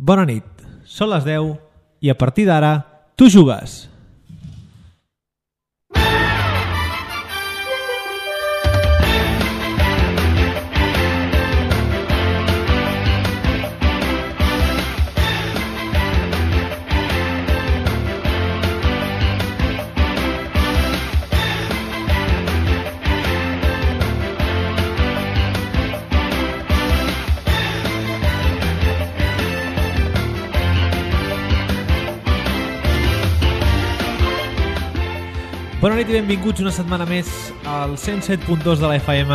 Bona nit, són les 10 i a partir d'ara tu jugues. Bona nit i benvinguts una setmana més al 107.2 de la FM,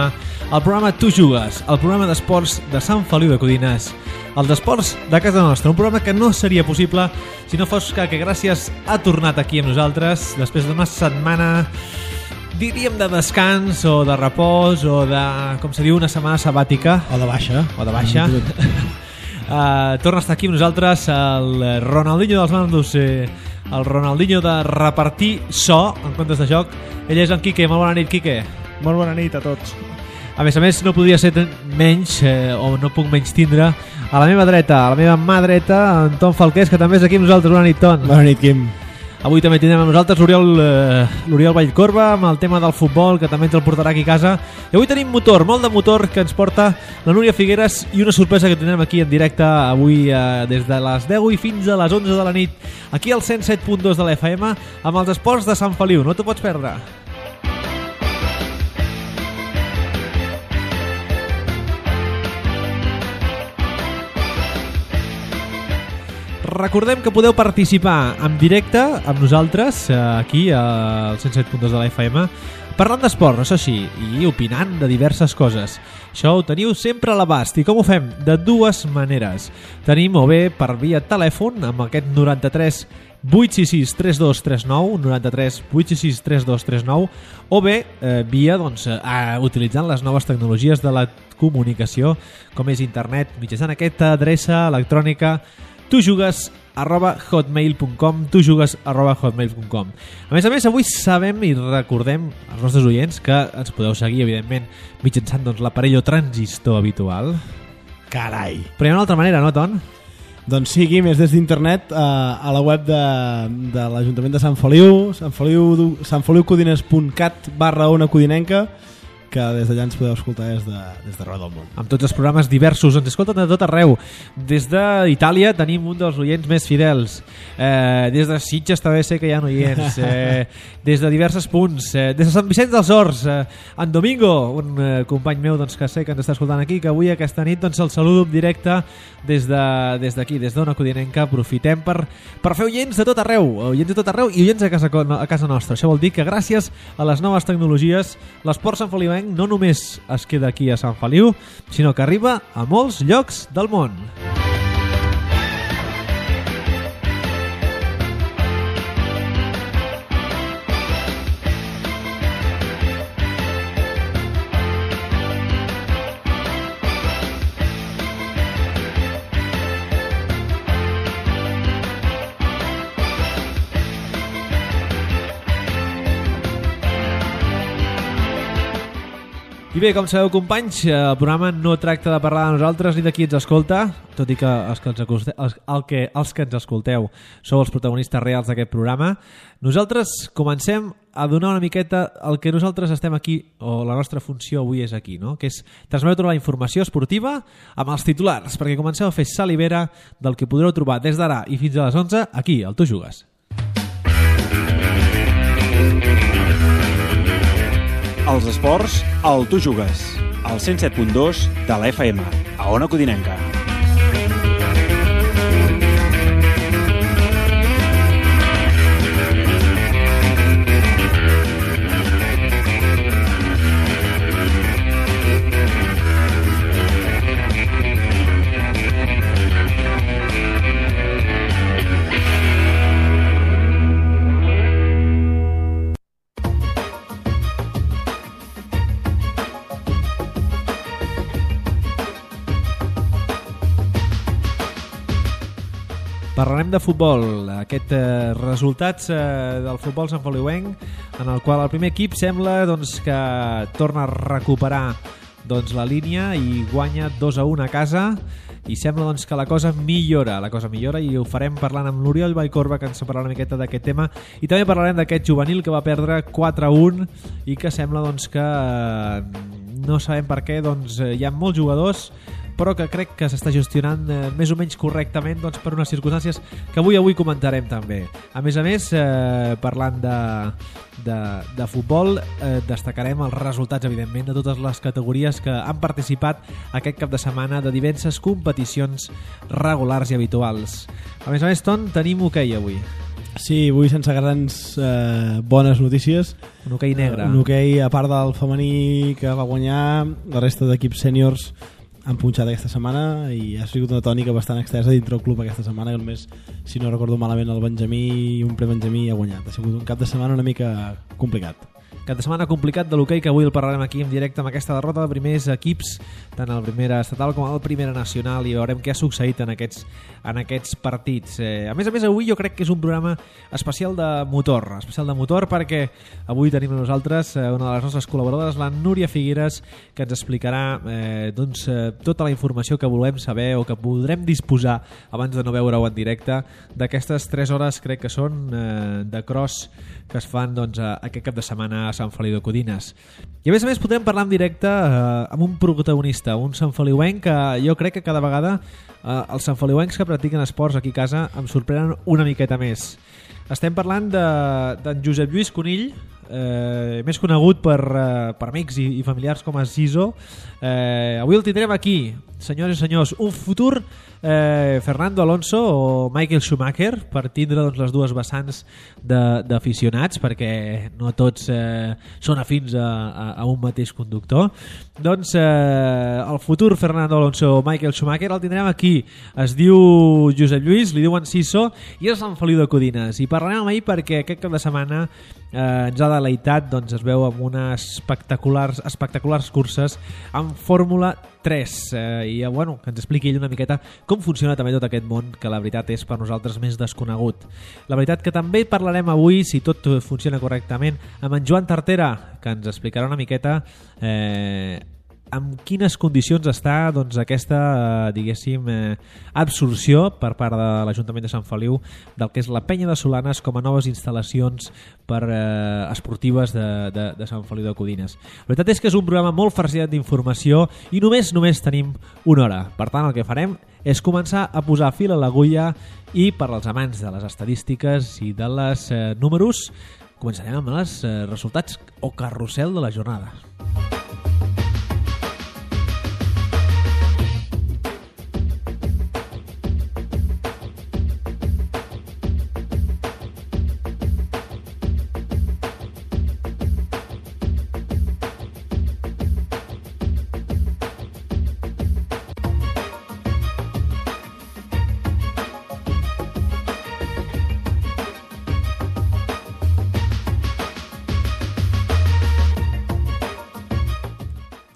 al programa Tu Jugues, el programa d'esports de Sant Feliu de Codines, el d'esports de casa nostra, un programa que no seria possible si no fos que gràcies ha tornat aquí amb nosaltres després d'una setmana, diríem, de descans o de repòs o de, com se diu, una setmana sabàtica. O de baixa. Torna a estar aquí amb nosaltres el Ronaldinho dels mandos, el Ronaldinho de repartir so en comptes de joc. Ell és en Quique. Molt bona nit, Quique. Molt bona nit a tots. A més, no podria ser menys, o no puc menys tindre a la meva dreta, a la meva mà dreta, en Ton Falqués, que també és aquí amb nosaltres. Bona nit, Ton. Bona nit, Quim. Avui també tindrem amb nosaltres l'Oriol Vallcorba amb el tema del futbol, que també ens el portarà aquí a casa. I avui tenim motor, molt de motor, que ens porta la Núria Figueres i una sorpresa que tindrem aquí en directe avui des de les 10 i fins a les 11 de la nit, aquí al 107.2 de la FM, amb els esports de Sant Feliu. No t'ho pots perdre. Recordem que podeu participar en directe amb nosaltres aquí al 107.2 de la FM parlant d'esport, això sí, i opinant de diverses coses. Això ho teniu sempre a l'abast. I com ho fem? De dues maneres. Tenim o bé per via telèfon amb aquest 93 866 3239, 93 866 3239, o bé via utilitzant les noves tecnologies de la comunicació, com és internet, mitjançant aquesta adreça electrònica tujugues@hotmail.com, tujugues@hotmail.com. A més, avui sabem i recordem als nostres oients que ens podeu seguir, evidentment, mitjançant l'aparell o transistor habitual. Carai. Però hi ha una altra manera, no, Ton? Doncs sí, Quim, és des d'internet a la web de l'Ajuntament de Sant Feliu, sanfeliucodines.cat/ona codinenca, que des d'allà ens podeu escoltar des d'arreu del món. Amb tots els programes diversos, ens escolten de tot arreu. Des d'Itàlia tenim un dels oients més fidels. Des de Sitges també sé que hi ha oients. Des de diversos punts. Des de Sant Vicenç dels Horts, en Domingo, un company meu que sé que ens està escoltant aquí, que avui aquesta nit el saludo en directe des d'aquí, des d'Ona Codinenca. Aprofitem per fer oients de tot arreu, i oients a casa nostra. Això vol dir que gràcies a les noves tecnologies l'esport santfeliuenc no només es queda aquí a Sant Feliu, sinó que arriba a molts llocs del món. I bé, com sabeu, companys, el programa no tracta de parlar de nosaltres ni de qui ens escolta, tot i que els que ens escolteu sou els protagonistes reals d'aquest programa. Nosaltres comencem a donar una miqueta el que nosaltres estem aquí, o la nostra funció avui és aquí, no? Que és transmetre la informació esportiva amb els titulars, perquè comenceu a fer salivera del que podreu trobar des d'ara i fins a les 11 aquí, al Tu Jugues. Els esports, al Tu Jugues, al 107.2 de la FM, a Ona Codinenca. Parlarem de futbol, aquests resultats del futbol santfeliuenc, en el qual el primer equip sembla que torna a recuperar la línia i guanya 2-1 a casa, i sembla doncs, que la cosa millora i ho farem parlant amb l'Oriol Vallcorba, que ens parlarà una miqueta d'aquest tema, i també parlarem d'aquest juvenil que va perdre 4-1 i que sembla doncs, que no sabem per què, doncs, hi ha molts jugadors però que crec que s'està gestionant més o menys correctament doncs, per unes circumstàncies que avui comentarem també. A més, parlant de futbol, destacarem els resultats, evidentment, de totes les categories que han participat aquest cap de setmana de diverses competicions regulars i habituals. A més, Ton, tenim hoquei avui. Sí, avui sense grans bones notícies. Un hoquei negre. Un hoquei, a part del femení que va guanyar, la resta d'equips sèniors han punxat aquesta setmana i ha sigut una tònica bastant extensa dintre el club aquesta setmana, que només, si no recordo malament, el Benjamí i un prebenjamí ha guanyat. Ha sigut un cap de setmana una mica complicat. Cap de setmana complicat de l'hoquei, que avui el parlarem aquí en directe amb aquesta derrota de primers equips, tant el primera estatal com el primera nacional, i veurem què ha succeït en aquests partits. A més, avui jo crec que és un programa especial de motor, perquè avui tenim a nosaltres una de les nostres col·laboradores, la Núria Figueres, que ens explicarà tota la informació que volem saber o que podrem disposar abans de no veure-ho en directe d'aquestes 3 hores, crec que són, de cross que es fan aquest cap de setmana a Sant Feliu de Codines. I a més podrem parlar en directe amb un protagonista, un santfeliuenc que jo crec que cada vegada els santfeliuencs que practiquen esports aquí a casa em sorprenen una miqueta més. Estem parlant d'en Josep Lluís Conill, més conegut per amics i familiars com a Siso. Avui el tindrem aquí, senyores i senyors, un futur Fernando Alonso o Michael Schumacher, per tindre les dues vessants d'aficionats, perquè no tots són afins a un mateix conductor. Doncs el futur Fernando Alonso o Michael Schumacher el tindrem aquí. Es diu Josep Lluís, li diuen Siso, i és Sant Feliu de Codines, i parlarem amb ell perquè aquest cap de setmana ens ha deleitat, doncs es veu amb unes espectaculars curses amb Fórmula 3, i bueno, que ens expliqui ell una miqueta com funciona també tot aquest món, que la veritat és per nosaltres més desconegut. La veritat que també parlarem avui, si tot funciona correctament, amb en Joan Tartera, que ens explicarà una miqueta amb quines condicions està aquesta, diguéssim, absorció per part de l'Ajuntament de Sant Feliu del que és la Penya de Solanes com a noves instal·lacions esportives de Sant Feliu de Codines. La veritat és que és un programa molt farciat d'informació i només tenim una hora. Per tant, el que farem és començar a posar fil a l'agulla i per als amants de les estadístiques i de les números començarem amb els resultats o carrusel de la jornada.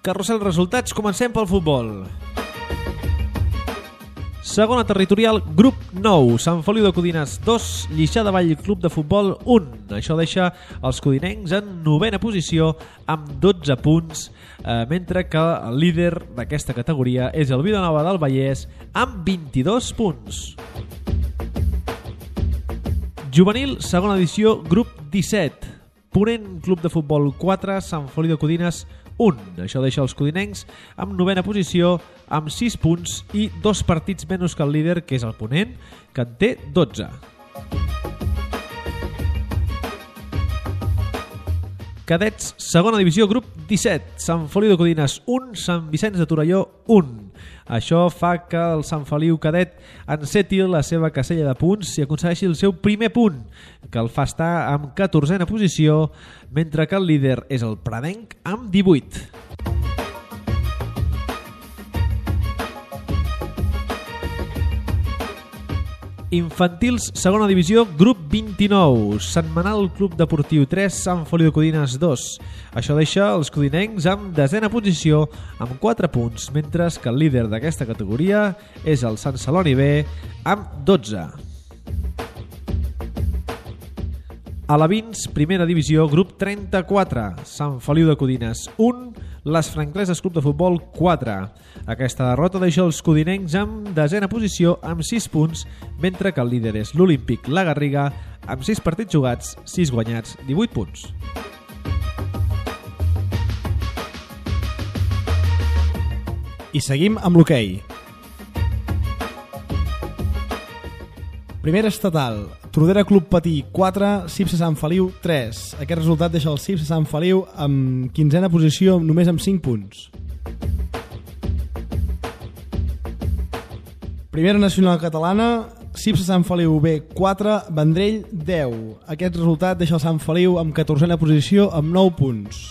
Carrusel resultats, comencem pel futbol. Segona territorial, grup 9, Sant Feliu de Codines 2, Lliçà de Vall Club de Futbol 1. Això deixa els codinencs en 9a posició amb 12 punts, mentre que el líder d'aquesta categoria és el Vilanova del Vallès amb 22 punts. Juvenil, segona edició, grup 17. Ponent, Club de Futbol 4, Sant Feliu de Codines 1. Això deixa els codinencs amb 9a posició amb 6 punts i 2 partits menys que el líder, que és el Ponent, que en té 12. Cadets, segona divisió, grup 17. Sant Feliu de Codines 1, Sant Vicenç de Torelló 1. Això fa que el Sant Feliu cadet enceti la seva casella de punts i aconsegueixi el seu primer punt, que el fa estar amb 14a posició, mentre que el líder és el Pradenc amb 18. Infantils, segona divisió, grup 29. Setmanal, Club Deportiu 3, Sant Feliu de Codines 2. Això deixa els codinencs amb 10a posició amb 4 punts, mentre que el líder d'aquesta categoria és el Sant Celoni B amb 12. Alevins, primera divisió, grup 34. Sant Feliu de Codines 1, les Francleses Club de Futbol 4. Aquesta derrota deixa els codinencs en desena posició amb 6 punts, mentre que el líder és l'Olímpic La Garriga amb 6 partits jugats, 6 guanyats, 18 punts. I seguim amb l'hoquei. Primera estatal, Tordera Club Patí 4, Cipse Sant Feliu 3. Aquest resultat deixa el Cipse Sant Feliu amb 15a posició només amb 5 punts. Primera nacional catalana, Cipse Sant Feliu B 4, Vendrell 10. Aquest resultat deixa el Sant Feliu amb 14a posició amb 9 punts.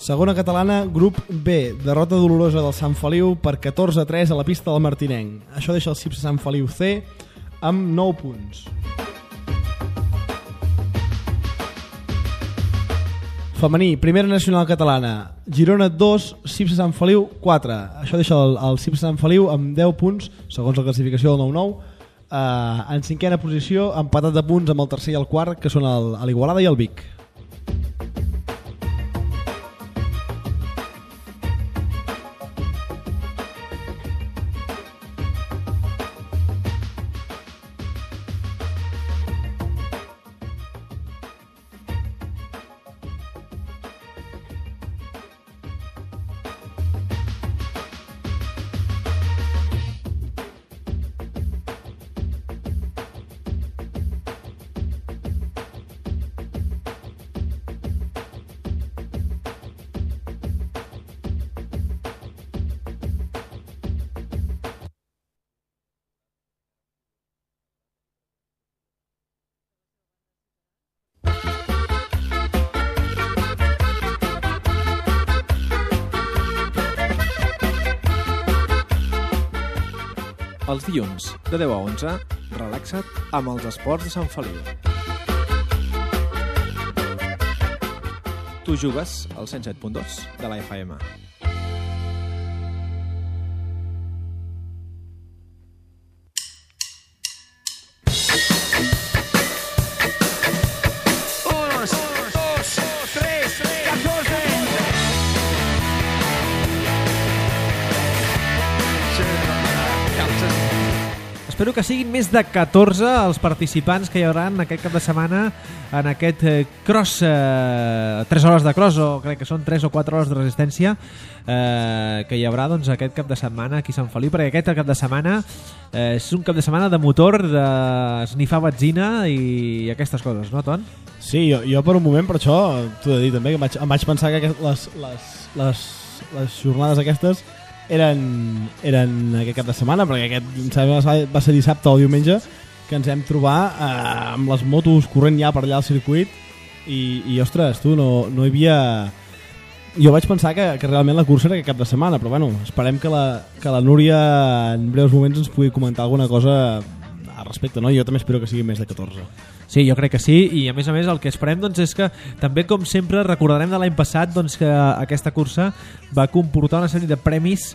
Segona catalana, grup B, derrota dolorosa del Sant Feliu per 14-3 a la pista del Martinenc. Això deixa el Cipse Sant Feliu C amb 9 punts. Femení, primera nacional catalana, Girona 2, Cipse Sant Feliu 4. Això deixa el Cipse Sant Feliu amb 10 punts, segons la classificació del 9-9, en cinquena posició, empatat de punts amb el tercer i el quart, que són l'Igualada i el Vic. Els dilluns, de 10 a 11, relaxa't amb els esports de Sant Feliu. Tu jugues al 107.2 de la FM. Espero que siguin més de 14 els participants que hi haurà aquest cap de setmana en aquest cross, 3 hores de cross, o crec que són 3 o 4 hores de resistència, que hi haurà doncs, aquest cap de setmana aquí a Sant Feliu, perquè aquest cap de setmana és un cap de setmana de motor, d'esnifar benzina i aquestes coses, no, Ton? Sí, jo per un moment, per això t'ho he de dir també, que em vaig pensar que les jornades aquestes eren aquest cap de setmana, perquè aquest va ser dissabte o diumenge que ens hem trobat amb les motos corrent ja per allà al circuit i ostres, tu, no hi havia... Jo vaig pensar que realment la cursa era aquest cap de setmana, però bueno, esperem que la Núria en breus moments ens pugui comentar alguna cosa al respecte, no? Jo també espero que sigui més de 14. Sí, jo crec que sí, i a més el que esperem doncs, és que també, com sempre, recordarem de l'any passat doncs, que aquesta cursa va comportar una sèrie de premis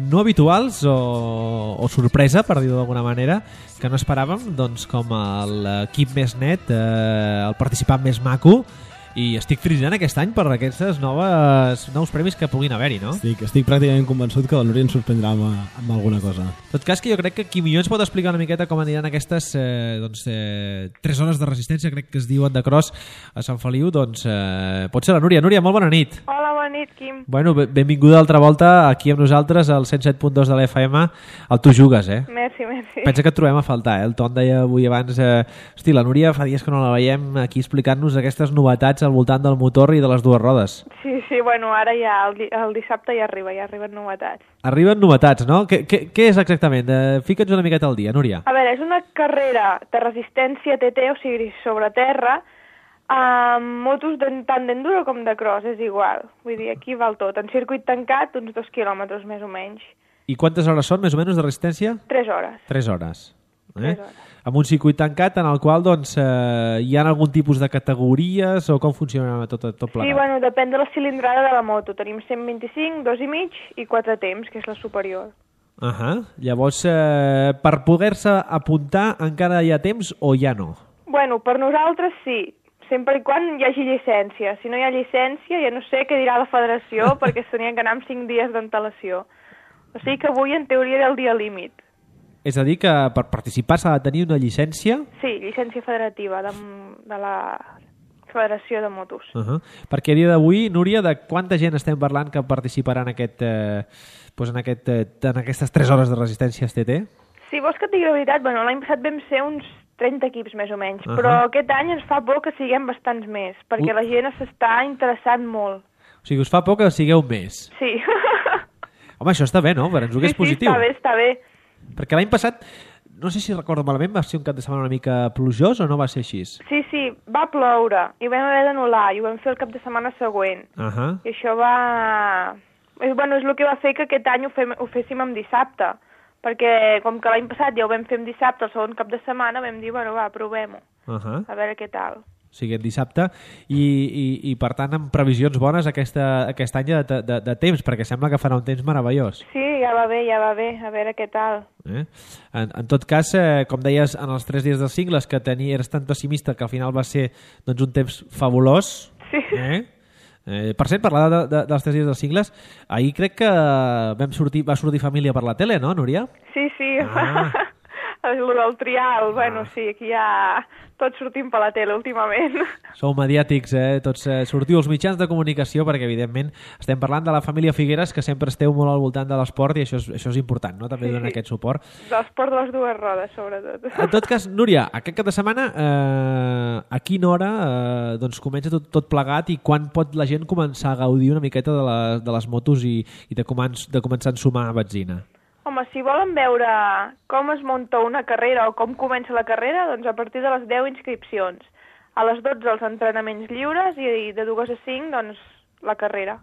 no habituals o sorpresa, per dir-ho d'alguna manera, que no esperàvem, doncs, com l'equip més net, el participant més maco, i estic fritzant aquest any per aquests nous premis que puguin haver-hi, no? Estic pràcticament convençut que la Núria ens sorprendrà amb alguna cosa. En tot cas, que jo crec que qui millor ens pot explicar una miqueta com aniran aquestes 3 hores de resistència, crec que es diuen de cross a Sant Feliu, doncs pot ser la Núria. Núria, molt bona nit. Hola, bona nit, Quim. Bueno, benvinguda altra volta aquí amb nosaltres al 107.2 de la FM, al Tu Jugues, eh? Merci. Pensa que et trobem a faltar, eh? El Ton deia avui abans, hosti, la Núria fa dies que no la veiem aquí explicant-nos aquestes novetats al voltant del motor i de les dues rodes. Sí, bueno, ara ja el dissabte ja arriben novetats. Arriben novetats, no? Què és exactament? Fica'ns una miqueta al dia, Núria. A veure, és una carrera de resistència TT, o sigui, sobre terra, amb motos tant d'enduro com de cross, és igual. Vull dir, aquí val tot. En circuit tancat, uns 2 quilòmetres més o menys. I quantes hores són, més o menys, de resistència? 3 hores. 3 hores. 3 hores. Amb un circuit tancat en el qual doncs, hi ha algun tipus de categories o com funciona tot plegat? Sí, bueno, depèn de la cilindrada de la moto. Tenim 125, 2,5 i 4 temps, que és la superior. Llavors, per poder-se apuntar encara hi ha temps o ja no? Bueno, per nosaltres sí, sempre i quan hi hagi llicència. Si no hi ha llicència, ja no sé què dirà la federació, perquè s'havien que anar amb 5 dies d'antelació. O sigui que avui, en teoria, era el dia límit. És a dir, que per participar s'ha de tenir una llicència? Sí, llicència federativa de la Federació de Motos. Perquè a dia d'avui, Núria, de quanta gent estem parlant que participarà en aquestes 3 hores de resistència TT? Si vols que et digui la veritat, bueno, l'any passat vam ser uns 30 equips més o menys, però aquest any ens fa por que siguem bastants més, perquè la gent s'està interessant molt. O sigui, us fa por que sigueu més? Sí. Home, això està bé, no? Per ens ho és positiu. Sí, està bé. Perquè l'any passat, no sé si recordo malament, va ser un cap de setmana una mica plujós o no va ser així? Sí, va ploure i vam haver d'anul·lar i ho vam fer el cap de setmana següent. I això va... Bueno, és el que va fer que aquest any ho féssim en dissabte, perquè com que l'any passat ja ho vam fer en dissabte, el segon cap de setmana, vam dir, bueno, va, provem-ho, a veure què tal. O sigui, en dissabte, i per tant amb previsions bones aquest any de temps, perquè sembla que farà un temps meravellós. Sí, ja va bé, a veure què tal. En tot cas, com deies, en els 3 dies dels cingles, que eres tan pessimista que al final va ser doncs, un temps fabulós. Sí. Per cert, parlar dels 3 dies dels cingles, ahir crec que va sortir família per la tele, no, Núria? Sí. El del trial, bueno, sí, aquí ja tots sortim per la tele últimament. Sou mediàtics, tots sortiu als mitjans de comunicació, perquè evidentment estem parlant de la família Figueres, que sempre esteu molt al voltant de l'esport i això és important, no? També donar aquest suport. De l'esport de les 2 rodes, sobretot. En tot cas, Núria, aquest cap de setmana, a quina hora doncs comença tot plegat i quan pot la gent començar a gaudir una miqueta de les motos i de començar a ensumar benzina? Home, si volen veure com es munta una carrera o com comença la carrera, doncs a partir de les 10 inscripcions. A les 12 els entrenaments lliures i de 2 a 5 doncs la carrera.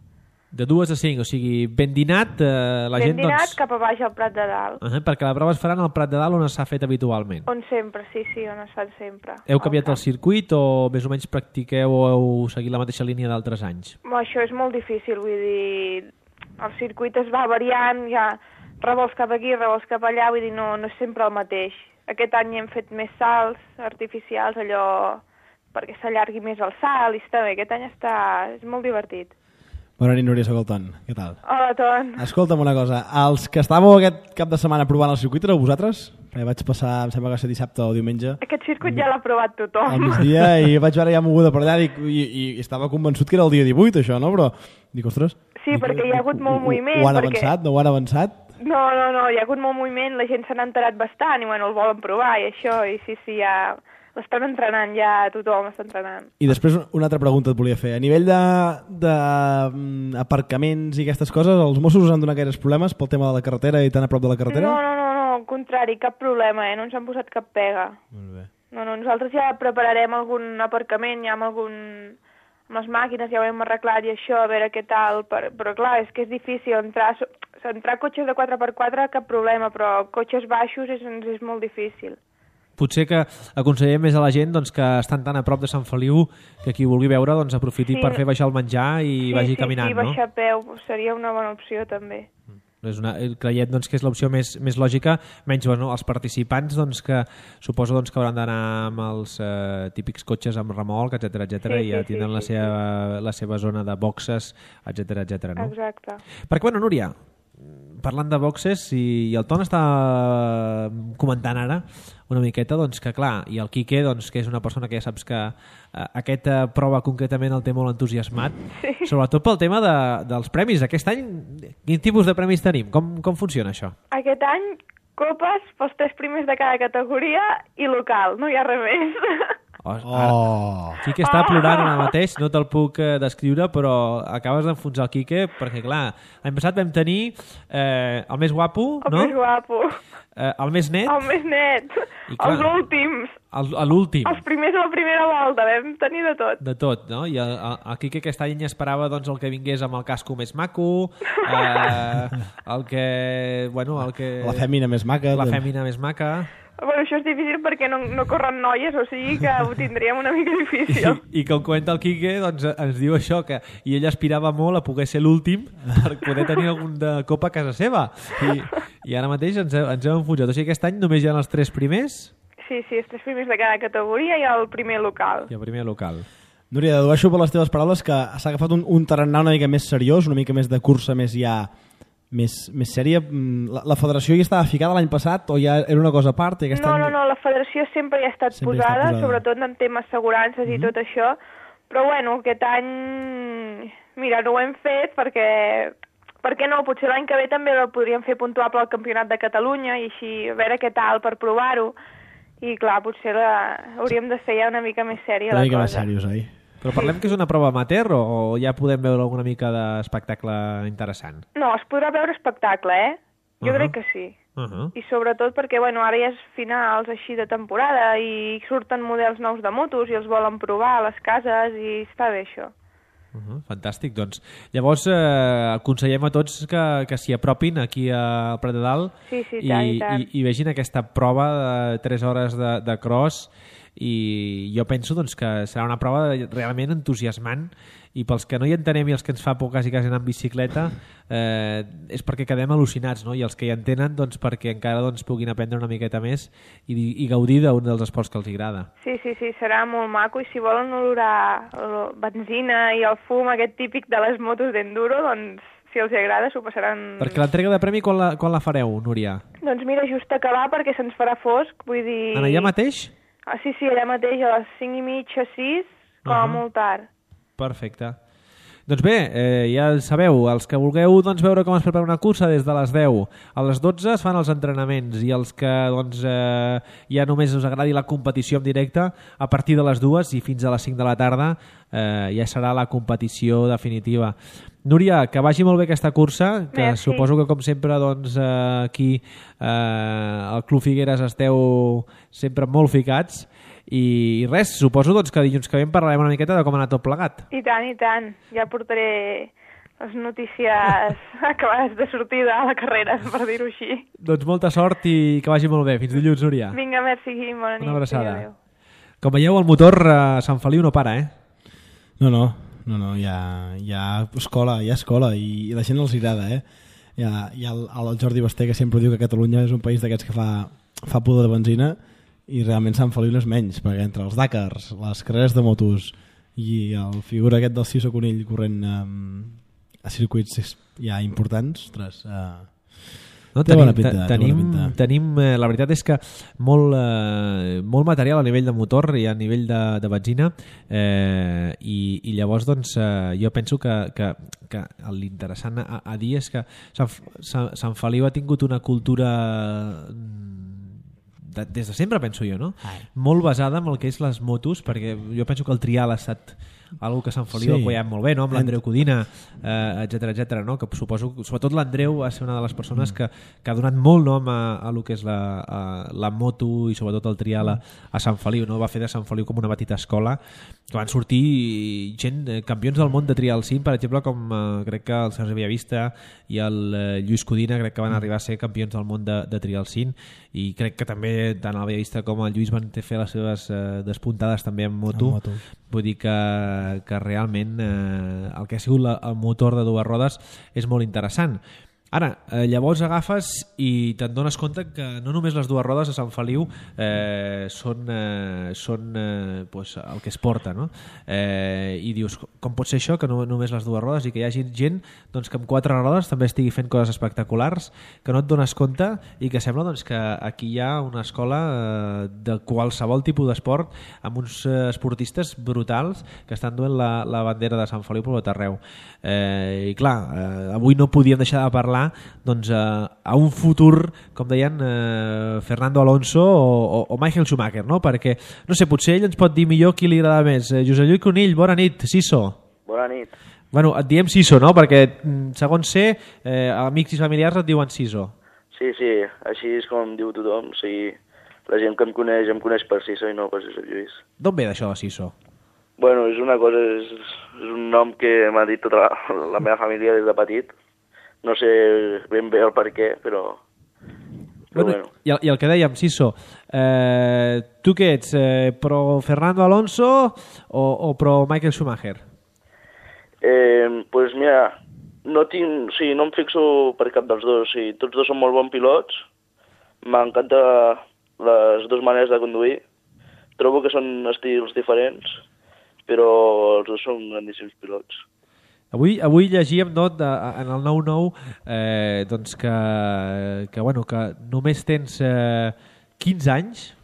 De 2 a 5, o sigui, ben dinat la gent... Ben dinat cap a baix al Prat de Dalt. Perquè la prova es farà al Prat de Dalt on s'ha fet habitualment. On sempre, sí, on es fan sempre. Heu canviat el circuit o més o menys practiqueu o heu seguit la mateixa línia d'altres anys? Això és molt difícil, vull dir, el circuit es va variant, ja... revolts cap aquí, revolts cap allà, vull dir, no és sempre el mateix. Aquest any hem fet més salts artificials, allò perquè s'allargui més el salt, i està bé, aquest any és molt divertit. Bona nit, Núria, soc el Ton. Què tal? Hola, Ton. Escolta'm una cosa, els que estàveu aquest cap de setmana provant el circuit éreu vosaltres? Vaig passar, em sembla que va ser dissabte o diumenge. Aquest circuit ja l'ha provat tothom. Al migdia, i vaig veure ja moguda per allà i estava convençut que era el dia 18, això, no? Però dic, ostres... Sí, perquè hi ha hagut molt moviment. Ho han avançat? No ho han avançat? No, hi ha hagut molt moviment, la gent se n'ha enterat bastant i bueno, el volen provar i això, i sí, ja l'estan entrenant, ja tothom està entrenant. I després una altra pregunta et volia fer. A nivell d'aparcaments i aquestes coses, els Mossos us han donat gaires problemes pel tema de la carretera i tan a prop de la carretera? No, al contrari, cap problema, no ens han posat cap pega. Molt bé. No, nosaltres ja prepararem algun aparcament, ja amb les màquines ja ho hem arreglat i això, a veure què tal, però clar, és que és difícil entrar cotxes de 4x4 cap problema, però cotxes baixos és molt difícil. Potser que aconsellem més a la gent doncs, que estan tan a prop de Sant Feliu que qui vulgui veure doncs, aprofiti per fer baixar el menjar i vagi caminant, no? Sí, baixar a peu seria una bona opció també. Creiem doncs, que és l'opció més lògica, menys els participants doncs, que suposo doncs, que hauran d'anar amb els típics cotxes amb remolc, etc i ja tindran la seva zona de boxes, etc. No? Exacte. Perquè, bueno, Núria, parlant de boxes, i el Ton està comentant ara una miqueta, doncs que clar, i el Quique, doncs, que és una persona que ja saps que aquesta prova concretament el té molt entusiasmat, sobretot pel tema dels premis. Aquest any, quin tipus de premis tenim? Com funciona això? Aquest any, copes pels 3 primers de cada categoria i local, no hi ha res més. Quique està plorant ara mateix, no te'l puc descriure, però acabes d'enfonsar el Quique, perquè clar, l'any passat vam tenir el més guapo, no? El més guapo. El més net. El més net. Clar, els últims. L'últim. Els primers a la primera volta, vam tenir de tot. De tot, no? I el Quique aquest any esperava doncs, el que vingués amb el casco més maco, el que... La fèmina més maca. La fèmina més maca. Bueno, això és difícil perquè no corren noies, o sigui que ho tindríem una mica difícil. I com comenta el Quique, doncs ens diu això, que i ell aspirava molt a poder ser l'últim per poder tenir algun de copa a casa seva. I ara mateix ens hem enfonsat. O sigui, aquest any només hi ha els 3 primers? Sí, els 3 primers de cada categoria i el primer local. I el primer local. Núria, dedueixo per les teves paraules que s'ha agafat un tarannà una mica més seriós, una mica més de cursa, més sèria. La federació hi estava ficada l'any passat o ja era una cosa a part? I No, la federació sempre hi ha estat posada, sobretot en temes assegurances i tot això, però bueno, aquest any, mira, no ho hem fet perquè no, potser l'any que ve també el podríem fer puntuable al Campionat de Catalunya i així a veure què tal per provar-ho. I clar, potser hauríem de fer ja una mica més sèria la cosa. Una mica més seriós, oi? Però parlem que és una prova amateur o ja podem veure alguna mica d'espectacle interessant? No, es podrà veure espectacle, Jo crec que sí. I sobretot perquè, bueno, ara ja és finals així de temporada i surten models nous de motos i els volen provar a les cases i està bé això. Fantàstic, doncs. Llavors aconsellem a tots que s'hi apropin aquí al Prat de Dalt i vegin aquesta prova de 3 hores de cross i jo penso doncs, que serà una prova realment entusiasmant i pels que no hi entenem i els que ens fa por quasi anar en bicicleta és perquè quedem al·lucinats, no? I els que hi entenen doncs, perquè encara doncs, puguin aprendre una miqueta més i gaudir d'un dels esports que els agrada. Sí, serà molt maco i si volen olorar la benzina i el fum aquest típic de les motos d'enduro, doncs si els agrada s'ho passaran... Perquè l'entrega de premi quan la fareu, Núria? Doncs mira, just acabar perquè se'ns farà fosc, vull dir... En allà mateix? Sí, allà mateix, a les 5:30, 6, com a molt tard. Perfecte. Doncs bé, ja sabeu, els que vulgueu doncs, veure com es prepara una cursa des de les 10 a les 12 es fan els entrenaments i els que doncs, ja només us agradi la competició en directe a partir de les 2 i fins a les 5 de la tarda ja serà la competició definitiva. Núria, que vagi molt bé aquesta cursa, que merci. Suposo que com sempre doncs, aquí al Club Figueres esteu sempre molt ficats i res, suposo doncs, que dilluns que ve parlarem una miqueta de com ha anat tot plegat. I tant, ja portaré les notícies acabades de sortir de la carrera, per dir-ho així. Doncs molta sort i que vagi molt bé. Fins dilluns, Núria. Vinga, merci, bona nit. Una abraçada. Com veieu, el motor a Sant Feliu no para, No, hi ha escola i la gent els agrada, Hi ha el Jordi Basté que sempre diu que Catalunya és un país d'aquests que fa pudor de benzina i realment Sant Feliu no és menys, perquè entre els Dakars, les carreres de motos i el figura aquest del Ciso Conill corrent a circuits ja importants, ostres, no, tenim la veritat és que molt material a nivell de motor i a nivell de benzina i llavors doncs, jo penso que l'interessant a dir és que Sant Feliu ha tingut una cultura des de sempre, penso jo, no? Molt basada en el que és les motos, perquè jo penso que el trial ha estat algo que Sant Feliu ha apoyat molt bé, no? Amb l'Andreu Codina, etcètera, no? Que suposo, sobretot l'Andreu va ser una de les persones que ha donat molt nom a lo que és la moto i sobretot el trial a Sant Feliu, no? Va fer de Sant Feliu com una petita escola que van sortir gent, campions del món de trial sim, per exemple, com crec que el Sergi Villavista i el Lluís Codina crec que van arribar a ser campions del món de trial sim i crec que també tant el Villavista com el Lluís van fer les seves despuntades també en moto. Vull dir que realment el que ha sigut el motor de dues rodes és molt interessant. Ara, llavors agafes i te'n dones compte que no només les dues rodes a Sant Feliu són pues, el que es porta, no? I dius, com pot ser això que no només les dues rodes i que hi hagi gent doncs, que amb quatre rodes també estigui fent coses espectaculars, que no et dones compte i que sembla doncs, que aquí hi ha una escola de qualsevol tipus d'esport amb uns esportistes brutals que estan duent la bandera de Sant Feliu per tot arreu. I clar, avui no podíem deixar de parlar doncs, a un futur, com deien, Fernando Alonso o Michael Schumacher, no? Perquè, no sé, potser ell ens pot dir millor qui li agrada més. Josep Lluís Conill, bona nit, Siso. Bona nit. Bueno, et diem Siso, no? Perquè, segons sé, amics i familiars et diuen Siso. Sí, així és com diu tothom. O sigui, la gent que em coneix per Siso i no per Josep Lluís. D'on ve d'això de Siso? Bueno, és una cosa, és un nom que m'ha dit tota la meva família des de petit. No sé ben bé el per què, però bueno. I el que dèiem, Siso, tu què ets? Pro Fernando Alonso o pro Michael Schumacher? Pues mira, no em fixo per cap dels dos. Tots dos són molt bons pilots. M'encanta les dues maneres de conduir. Trobo que són estils diferents, però els dos són grandíssims pilots. Avui llegíem en el 9-9 doncs que només tens 15 anys.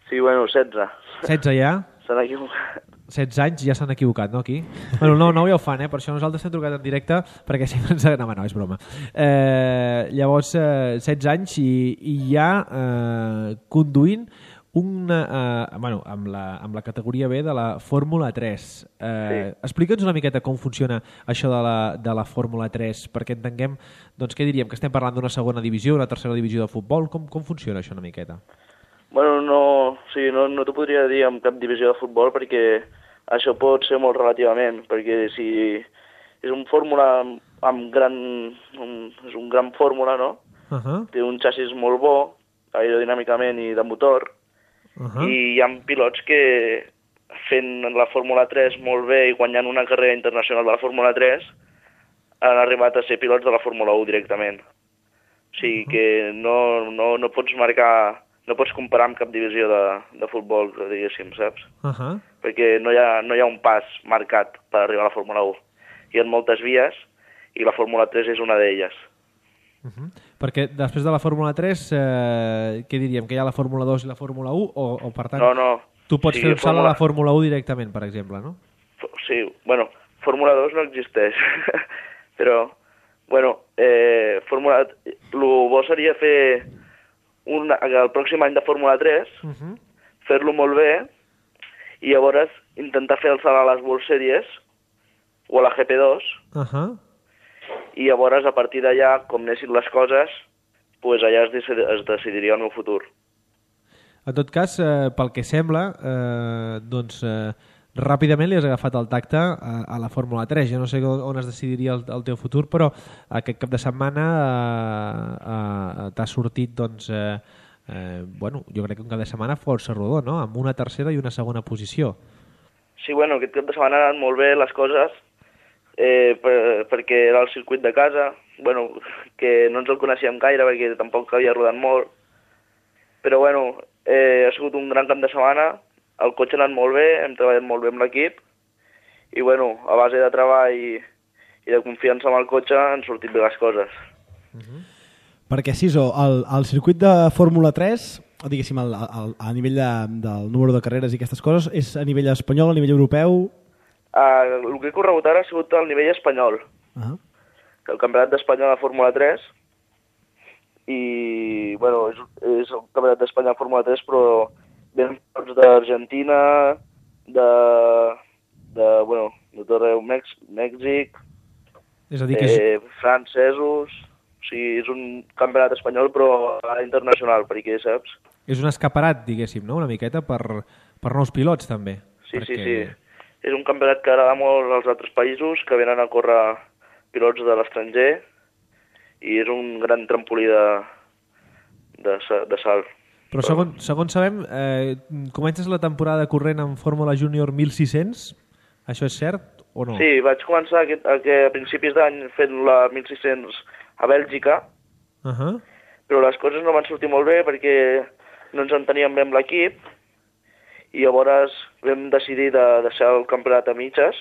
Sí, bueno, 16. 16 ja? S'han equivocat. 16 anys ja s'han equivocat, no, aquí? Bueno, el 9-9 ja ho fan, per això nosaltres hem trucat en directe, perquè sempre ens... No, és broma. Llavors, 16 anys i ja conduint amb la categoria B de la Fórmula 3. Sí. Explica'ns una miqueta com funciona això de la Fórmula 3, perquè entenguem, doncs què diríem, que estem parlant d'una segona divisió, una tercera divisió de futbol, com funciona això una miqueta? Bueno, no t'ho podria dir en cap divisió de futbol perquè això pot ser molt relativament, perquè si és un fórmula és un gran fórmula, no? Té un xassis molt bo, aerodinàmicament i de motor, i hi ha pilots que fent la Fórmula 3 molt bé i guanyant una carrera internacional de la Fórmula 3 han arribat a ser pilots de la Fórmula 1 directament. O sigui que no pots marcar... No pots comparar amb cap divisió de futbol, diguéssim, saps? Perquè no hi ha un pas marcat per arribar a la Fórmula 1. Hi ha moltes vies i la Fórmula 3 és una d'elles. Perquè després de la Fórmula 3, què diríem? Que hi ha la Fórmula 2 i la Fórmula 1? O per tant, tu pots fer un salt a la Fórmula 1 directament, per exemple, no? Sí, bueno, Fórmula 2 no existeix. Però, bueno, el bo seria fer... el pròxim any de Fórmula 3, fer-lo molt bé i llavors intentar fer el salt a les World Series o a la GP2 i llavors a partir d'allà, com anessin les coses, pues allà es decidiria el meu futur. En tot cas, pel que sembla, ràpidament li has agafat el tacte a la Fórmula 3. Jo no sé on es decidiria el teu futur, però aquest cap de setmana t'ha sortit, doncs, jo crec que un cap de setmana força rodó, no? Amb una tercera i una segona posició. Sí, bueno, aquest cap de setmana han anat molt bé les coses, perquè era el circuit de casa, bueno, que no ens el coneixíem gaire perquè tampoc havia rodat molt, però bueno, ha sigut un gran cap de setmana. El cotxe ha anat molt bé, hem treballat molt bé amb l'equip i, bueno, a base de treball i de confiança amb el cotxe han sortit bé les coses. Perquè, Siso, el circuit de Fórmula 3, diguéssim, a nivell del número de carreres i aquestes coses, és a nivell espanyol, a nivell europeu? El que he corregut ara ha sigut al nivell espanyol. El campionat d'Espanya de Fórmula 3 i, bueno, és el campionat d'Espanya de Fórmula 3, però venen tots d'Argentina, de tot arreu, Mèxic, és a dir que francesos... O sigui, és un campionat espanyol però internacional, perquè saps? És un escaparat, diguéssim, no? Una miqueta per nous pilots, també. Sí, perquè... sí. És un campionat que agrada molt als altres països, que venen a córrer pilots de l'estranger i és un gran trampolí de salt. Però segons sabem, comences la temporada corrent en Fórmula Júnior 1600, això és cert o no? Sí, vaig començar a principis d'any fent la 1600 a Bèlgica, però les coses no van sortir molt bé perquè no ens enteníem bé amb l'equip i llavors vam decidir de deixar el campionat a mitges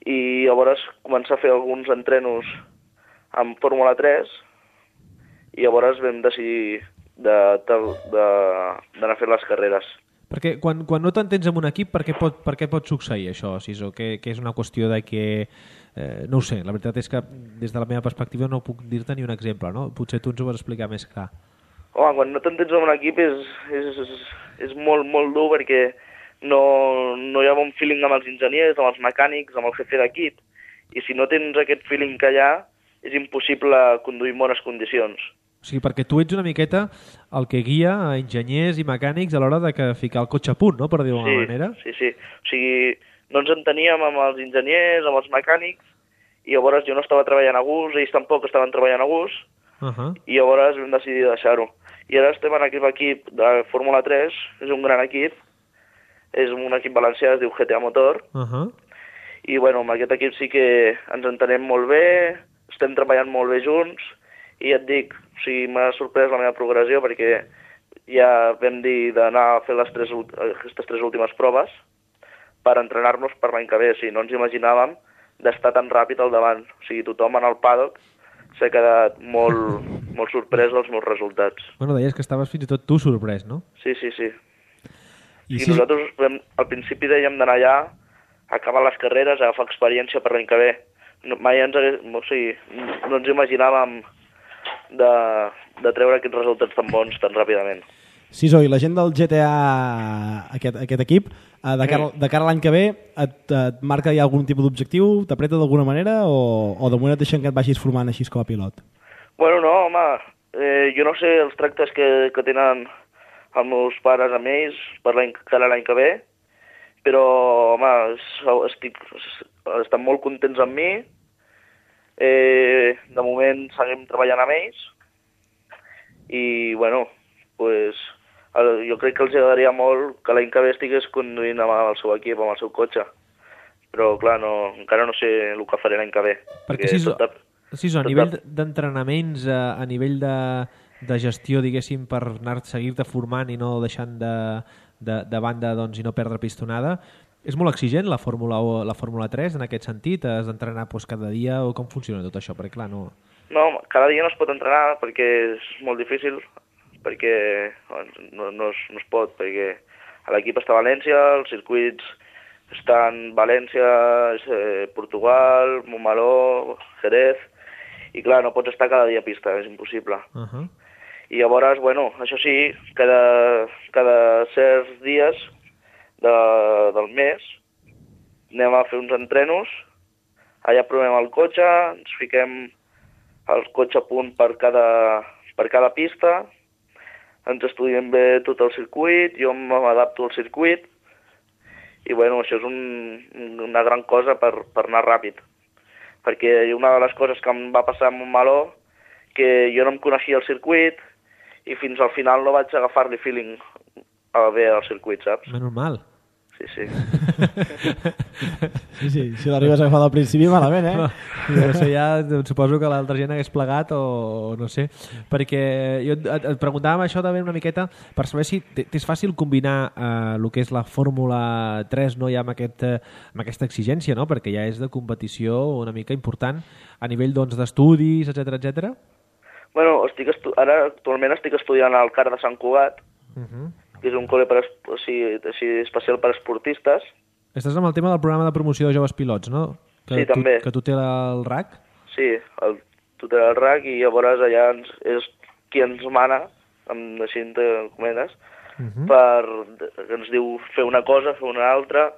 i llavors començar a fer alguns entrenos amb Fórmula 3 i llavors vam decidir d'anar a fer les carreres. Perquè quan no t'entens amb un equip, per què pot succeir això, Siso? Que és una qüestió de que... no ho sé, la veritat és que des de la meva perspectiva no puc dir-te ni un exemple, no? Potser tu ens ho vas explicar més clar. Home, quan no t'entens amb un equip és molt, molt dur perquè no hi ha bon feeling amb els enginyers, amb els mecànics, amb el jefe d'equip. I si no tens aquest feeling que hi ha, és impossible conduir en bones condicions. O sigui, perquè tu ets una miqueta el que guia a enginyers i mecànics a l'hora de ficar el cotxe a punt, no?, per dir-ho d'alguna manera. Sí. O sigui, no ens enteníem amb els enginyers, amb els mecànics, i llavors jo no estava treballant a gust, ells tampoc estaven treballant a gust, i llavors vam decidir deixar-ho. I ara estem en aquest equip de Fórmula 3, és un gran equip, és un equip valencià, es diu GTA Motor, i bueno, amb aquest equip sí que ens entenem molt bé, estem treballant molt bé junts, i ja et dic, o sigui, m'ha sorprès la meva progressió perquè ja vam dir d'anar a fer aquestes 3 últimes proves per entrenar-nos per l'any que ve. O sigui, no ens imaginàvem d'estar tan ràpid al davant. O sigui, tothom en el paddock s'ha quedat molt sorprès dels meus resultats. Bueno, deies que estaves fins i tot tu sorprès, no? Sí. I nosaltres al principi dèiem d'anar allà, acabar les carreres, agafar experiència per l'any que ve. Mai no ens imaginàvem de treure aquests resultats tan bons tan ràpidament. Siso, i la gent del GTA, aquest equip, de cara a l'any que ve, et marca ja algun tipus d'objectiu? T'apreta d'alguna manera o de moment et deixen que et vagis formant així com a pilot? Bueno, no, home, jo no sé els tractes que tenen els meus pares amb ells per cara a l'any que ve, però, home, estan molt contents amb mi. De moment seguim treballant amb ells i, bueno, pues, jo crec que els agradaria molt que l'any que ve estigués conduint amb el seu equip, amb el seu cotxe. Però, clar, encara no sé el que faré l'any que ve. Perquè a nivell d'entrenaments, a nivell de gestió, diguéssim, per seguir-te formant i no deixant de banda doncs, i no perdre pistonada, és molt exigent la Fórmula 3 en aquest sentit? Has d'entrenar cada dia o com funciona tot això? Perquè, clar, no... No, cada dia no es pot entrenar perquè és molt difícil, perquè no es pot, perquè l'equip està a València, els circuits estan València, Portugal, Montmeló, Jerez, i clar, no pots estar cada dia a pista, és impossible. I llavors, bueno, això sí, cada certs dies del mes anem a fer uns entrenos, allà provem el cotxe, ens fiquem el cotxe a punt per cada pista, ens estudiem bé tot el circuit, jo m'adapto al circuit i bueno, això és una gran cosa per anar ràpid, perquè una de les coses que em va passar a Montmeló que jo no em coneixia el circuit i fins al final no vaig agafar-li feeling bé al circuit, saps? Menys mal. Sí. Sí, si l'arribes a agafar al principi malament, eh? No sé, ja suposo que l'altra gent hagués plegat o no sé, perquè jo et preguntàvem això també una miqueta per saber si és fàcil combinar el que és la Fórmula 3, no, ja amb aquesta exigència, no? Perquè ja és de competició una mica important a nivell d'estudis, etc. Bueno, ara actualment estic estudiant al CAR de Sant Cugat, que és un col·le especial per esportistes. Estàs amb el tema del programa de promoció de joves pilots, no? Sí, també. Que tutela el RAC? Sí, tutela el RAC i llavors allà és qui ens mana, així entre cometes, que ens diu fer una cosa, fer una altra,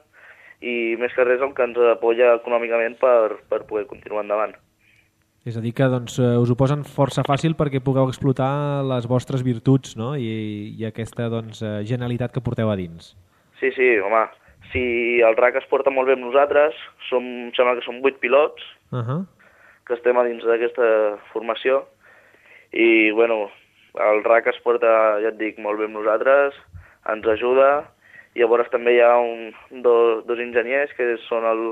i més que res el que ens apoya econòmicament per poder continuar endavant. És a dir que doncs, us ho posen força fàcil perquè pugueu explotar les vostres virtuts, no? I aquesta genialitat que porteu a dins. Sí, home. Si el RAC es porta molt bé amb nosaltres, sembla que som 8 pilots que estem a dins d'aquesta formació i, bueno, el RAC es porta, ja et dic, molt bé amb nosaltres, ens ajuda i llavors també hi ha dos enginyers que són el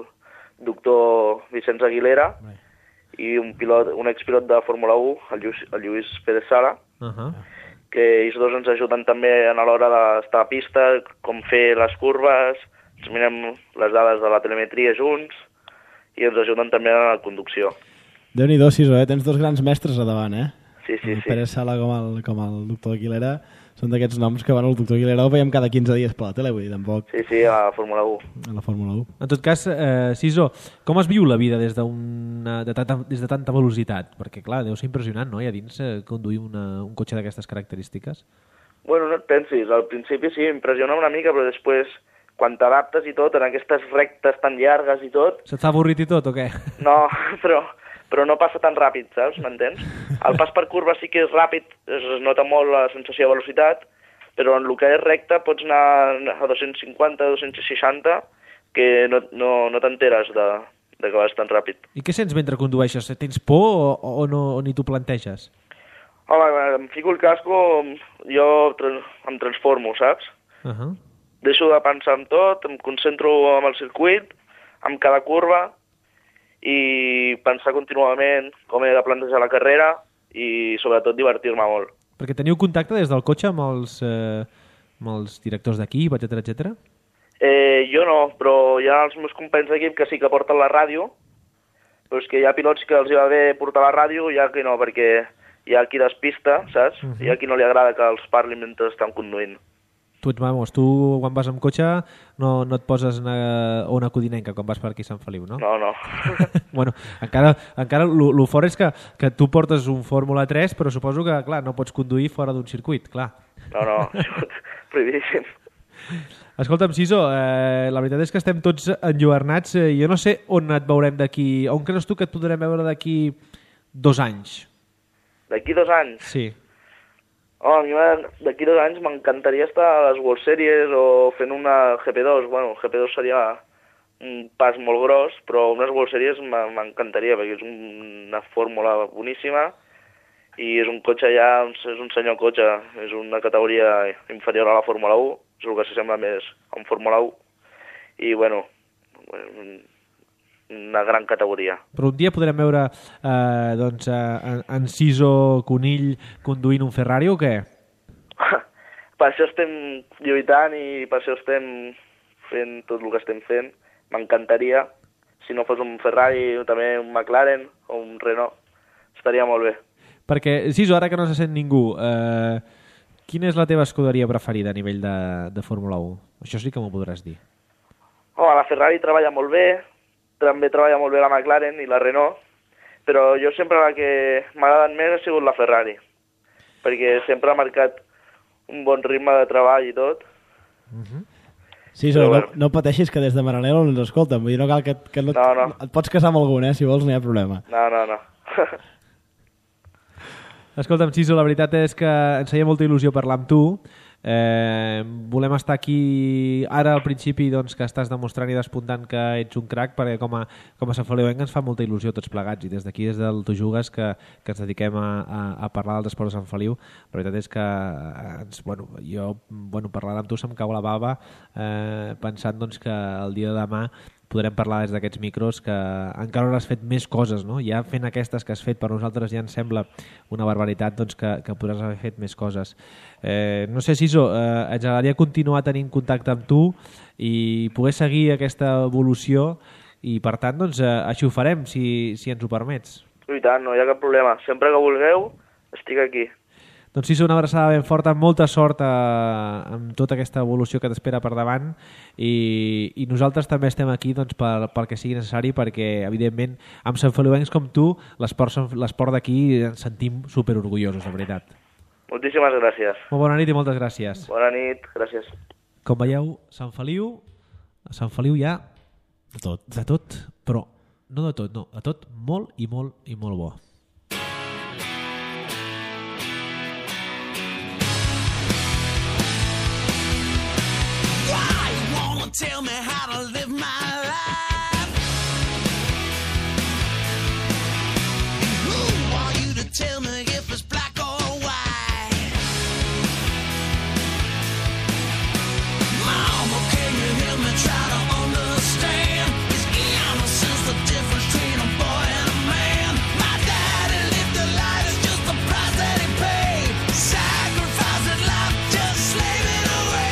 doctor Vicenç Aguilera i un expilot de Fórmula 1, el Lluís Pérez Sala, que ells dos ens ajuden també a l'hora d'estar a pista, com fer les curves, ens mirem les dades de la telemetria junts i ens ajuden també a la conducció. Déu-n'hi-do, Siso, tens dos grans mestres a davant, eh? Sí. El Pérez Sala com el doctor Aguilera són d'aquests noms que, bueno, el doctor Aguilera el veiem cada 15 dies per la tele, vull dir, tampoc... Sí, a la Fórmula 1. A la Fórmula 1. En tot cas, Siso, com es viu la vida des de tanta velocitat? Perquè, clar, deu ser impressionant, no?, i a dins conduir un cotxe d'aquestes característiques. Bueno, no et pensis, al principi sí, impressiona una mica, però després, quan t'adaptes i tot, en aquestes rectes tan llargues i tot... Se't fa avorrit i tot, o què? No, però no passa tan ràpid, saps? M'entens? El pas per curva sí que és ràpid, es nota molt la sensació de velocitat, però en el que és recte pots anar a 250, 260, que no t'enteres de que vas tan ràpid. I què sents mentre condueixes? Tens por o ni t'ho planteges? Home, em fico el casco, jo em transformo, saps? Deixo de pensar en tot, em concentro en el circuit, en cada curva, i pensar contínuament com he de plantejar la carrera i sobretot divertir-me molt. Perquè teniu contacte des del cotxe amb els directors d'equip, etc. Jo no, però hi ha els meus companys d'equip que sí que porten la ràdio, però és que hi ha pilots que els hi va bé portar la ràdio i hi ha qui no, perquè hi ha qui despista, saps? Hi ha qui no li agrada que els parlin mentre estan conduint. Tu ets mamos, tu quan vas amb cotxe no et poses una codinenca quan vas per aquí a Sant Feliu, no? No. Bueno, encara lo fort és que tu portes un Fórmula 3, però suposo que, clar, no pots conduir fora d'un circuit, clar. No, prohibidíssim. Escolta'm, Siso, la veritat és que estem tots enlluernats. Jo no sé on et veurem d'aquí... On creus tu que et podrem veure d'aquí 2 anys? D'aquí 2 anys? Sí. A mi d'aquí 2 anys m'encantaria estar a les World Series o fent una GP2. Bueno, GP2 seria un pas molt gros, però unes World Series m'encantaria, perquè és una fórmula boníssima i és un cotxe ja, és un senyor cotxe, és una categoria inferior a la Fórmula 1, és el que s'assembla més a un Fórmula 1, i bueno, una gran categoria. Però un dia podrem veure en Siso Conill conduint un Ferrari o què? Per això estem lluitant i per això estem fent tot el que estem fent. M'encantaria, si no fos un Ferrari, també un McLaren o un Renault, estaria molt bé. Perquè, Siso, ara que no se sent ningú, quina és la teva escuderia preferida a nivell de Fórmula 1? Això sí que m'ho podràs dir. La Ferrari treballa molt bé, també treballa molt bé la McLaren i la Renault, però jo sempre la que m'ha agradat més ha sigut la Ferrari, perquè sempre ha marcat un bon ritme de treball i tot. Sí, no pateixis que des de Maranello ens escolten, vull dir, no cal que no. Et pots casar amb algun, si vols, no hi ha problema. No. Escolta'm, Siso, la veritat és que ens feia molta il·lusió parlar amb tu. Volem estar aquí ara al principi, doncs, que estàs demostrant i despuntant que ets un crac, perquè com a Sant Feliuenc ens fa molta il·lusió tots plegats, i des d'aquí, des del Tu Jugues, que ens dediquem a parlar dels esports de Sant Feliu. La veritat és que parlar amb tu se'm cau la bava, pensant doncs, que el dia de demà podrem parlar des d'aquests micros, que encara hauràs fet més coses, no? Ja fent aquestes que has fet per nosaltres ja ens sembla una barbaritat, doncs, que podràs haver fet més coses. No sé, Siso, ens agradaria continuar tenint contacte amb tu i poder seguir aquesta evolució i, per tant, doncs, així ho farem, si ens ho permets. I tant, no hi ha cap problema. Sempre que vulgueu, estic aquí. Doncs sí, una abraçada ben forta, molta sort amb tota aquesta evolució que t'espera per davant, i nosaltres també estem aquí, doncs, pel que sigui necessari, perquè evidentment amb Sant Feliuencs com tu l'esport d'aquí ens sentim superorgullosos, de veritat. Moltíssimes gràcies. Molt bona nit i moltes gràcies. Bona nit, gràcies. Com veieu, a Sant Feliu hi ha de tot, però no de tot, no, de tot molt i molt i molt bo. Tell me how to live my life. Who are you to tell me if it's black or white? Mama, can you hear me try to understand? Is innocence the difference between a boy and a man? My daddy lived a life, it's just the price that he paid. Sacrificed his life, just slave it away.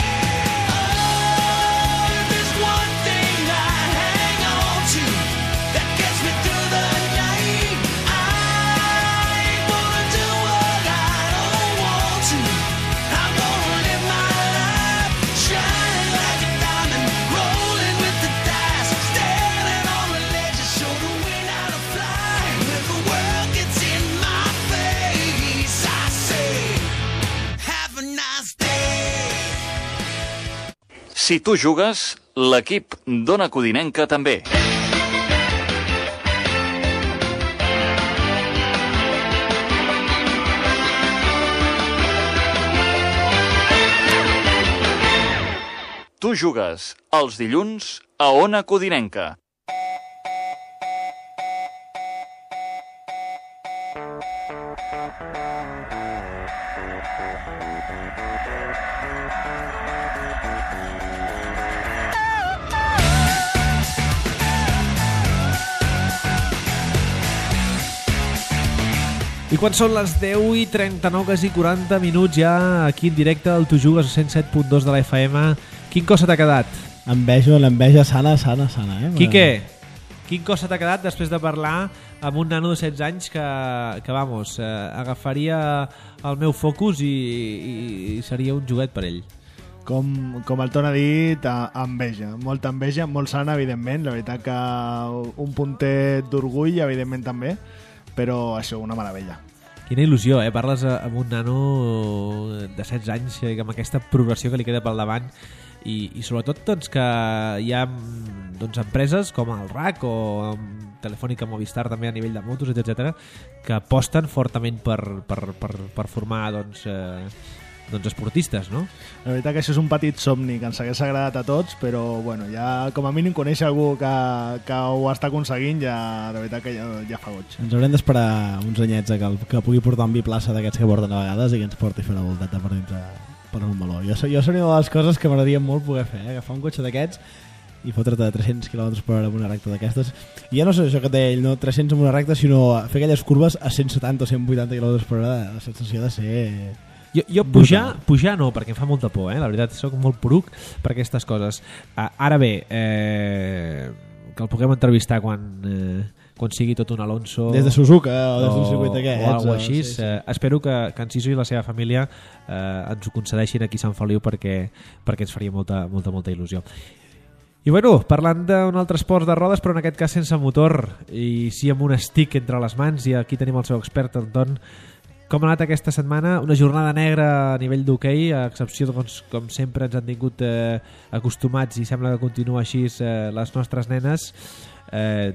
Si tu jugues, l'equip d'Ona Codinenca també. Tu jugues els dilluns a Ona Codinenca. I quan són les 10:39, quasi 40 minuts ja aquí en directe al Tu Jugues 107.2 de la FM, quin cosa t'ha quedat? L'enveja sana, Quique, quin cosa t'ha quedat després de parlar amb un nano de 16 anys que vamos, agafaria el meu Focus i seria un joguet per ell? Com el Ton ha dit, enveja, molta enveja, molt sana, evidentment, la veritat que un puntet d'orgull, evidentment també, però això, una meravella. Quina il·lusió, parles amb un nano de 16 anys amb aquesta progressió que li queda pel davant i sobretot doncs, que hi ha empreses com el RAC o Telefònica Movistar també a nivell de motos, etc que aposten fortament per formar doncs esportistes, no? La veritat que això és un petit somni que ens hagués agradat a tots, però bueno, ja com a mínim conèixer algú que ho està aconseguint, ja, de veritat que ja fa goig. Ens haurem d'esperar uns anyets que pugui portar un biplaça d'aquests que porten a vegades i que ens porti a fer una voltata per dintre per un meló. Jo seria una de les coses que m'agradaria molt poder fer, agafar un cotxe d'aquests i fotre't a 300 km per hora en una recta d'aquestes. I ja no sé això que té ell, no 300 en una recta, sinó fer aquelles curves a 170 o 180 km per hora, la sensació de ser... Jo pujar no, perquè em fa molta por, la veritat, soc molt poruc per aquestes coses. Ara bé, que el puguem entrevistar quan sigui tot un Alonso des de Suzuka o des d'un circuit d'aquests o alguna així, sí. Espero que en Siso i la seva família ens ho concedeixin aquí a Sant Feliu perquè ens faria molta il·lusió. I bueno, parlant d'un altre esport de rodes, però en aquest cas sense motor i sí amb un stick entre les mans, i aquí tenim el seu expert, Anton. Com ha anat aquesta setmana? Una jornada negra a nivell d'hoquei, a excepció doncs, com sempre ens han tingut acostumats i sembla que continua així les nostres nenes.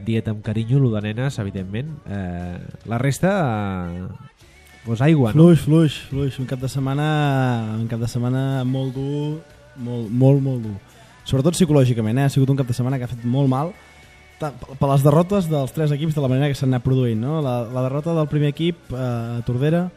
Dieta amb carinyo, lo de nenes, evidentment. La resta, doncs aigua, no? Fluix. Un cap de setmana molt dur, molt dur. Sobretot psicològicament, ha sigut un cap de setmana que ha fet molt mal per les derrotes dels tres equips de la manera que s'han anat produint, no? La derrota del primer equip a Tordera,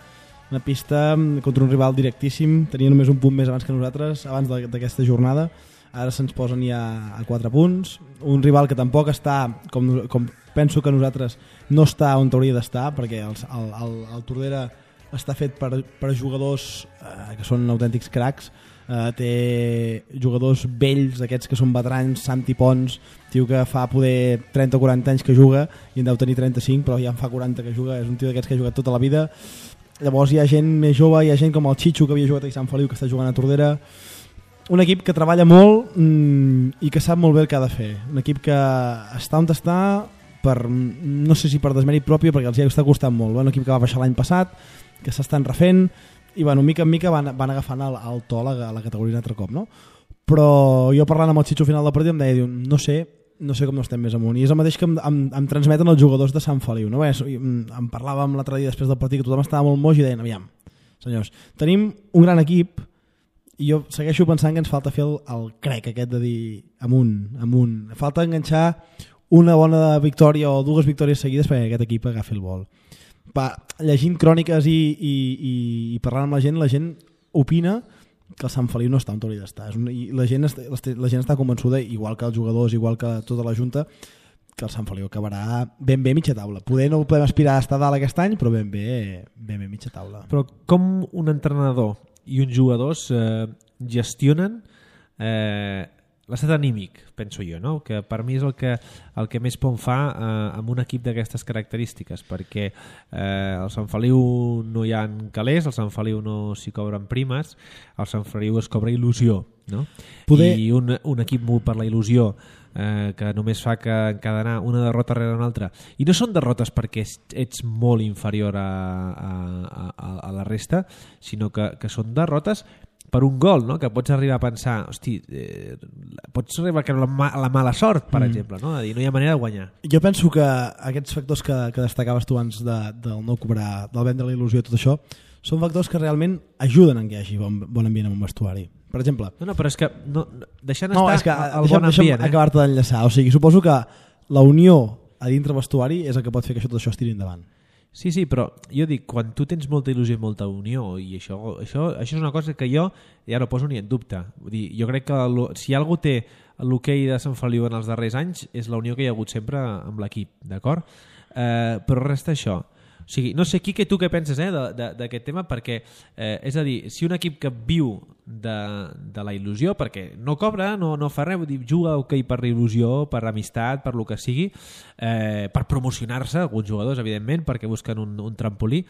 una pista contra un rival directíssim, tenia només un punt més abans que nosaltres, abans d'aquesta jornada. Ara se'ns posen ja a 4 punts, un rival que tampoc està, com penso que nosaltres no està on hauria d'estar, perquè el Tordera està fet per jugadors que són autèntics cracs. Té jugadors vells, aquests que són veterans, Santi Pons, tio que fa poder 30 o 40 anys que juga i en deu tenir 35, però ja en fa 40 que juga, és un tio d'aquests que ha jugat tota la vida. Llavors hi ha gent més jove, hi ha gent com el Chicho que havia jugat a Sant Feliu que està jugant a Tordera. Un equip que treballa molt i que sap molt bé el que ha de fer, un equip que està on està per, no sé si per desmèrit propi, perquè els hi està costant molt, un equip que va baixar l'any passat, que s'estan refent i bueno, mica en mica van agafant el to a la categoria un altre cop, no? Però jo parlant amb el Chicho al final del partit em deia, no sé com no estem més amunt, i és el mateix que em transmeten els jugadors de Sant Feliu, no? Em parlàvem l'altre dia després del partit que tothom estava molt moix i deien, aviam, senyors, tenim un gran equip i jo segueixo pensant que ens falta fer el crec aquest de dir amunt, falta enganxar una bona victòria o dues victòries seguides perquè aquest equip agafi el vol. Llegint cròniques i parlant amb la gent opina que el Sant Feliu no està on hauria d'estar, i la gent està convençuda, igual que els jugadors, igual que tota la junta, que el Sant Feliu acabarà ben bé mitja taula. Poder no podem aspirar a estar dalt aquest any, però ben bé mitja taula. Però com un entrenador i uns jugadors gestionen l'estat anímic, penso jo, no? Que per mi és el que més pont fa amb un equip d'aquestes característiques, perquè al Sant Feliu no hi ha calés, al Sant Feliu no s'hi cobren primes, al Sant Feliu es cobra il·lusió, no? I un equip mogut per la il·lusió que només fa que encadenar una derrota rere una altra, i no són derrotes perquè ets molt inferior a la resta, sinó que són derrotes per un gol, no? Que pots arribar a pensar, hosti, pots arribar a creure la mala sort, per exemple, no? A dir, no hi ha manera de guanyar. Jo penso que aquests factors que destacaves tu abans del no cobrar, del vendre la il·lusió i tot això, són factors que realment ajuden a que hi hagi bon ambient en un vestuari. Per exemple... No, però és que deixant estar el bon ambient... Deixa'm acabar-te d'enllaçar. O sigui, suposo que la unió a dintre vestuari és el que pot fer que tot això es tiri endavant. Sí, però jo dic, quan tu tens molta il·lusió i molta unió, i això és una cosa que jo ja no poso ni en dubte. Vull dir, jo crec que si algú té l'hoquei de Sant Feliu en els darrers anys és la unió que hi ha hagut sempre amb l'equip, d'acord? Però resta això. O sigui, no sé, Quique, tu què penses d'aquest tema, perquè és a dir, si un equip que viu de la il·lusió, perquè no cobra, no fa res, vull dir, juga okay, per il·lusió, per amistat, per lo que sigui, per promocionar-se, alguns jugadors, evidentment, perquè busquen un trampolí,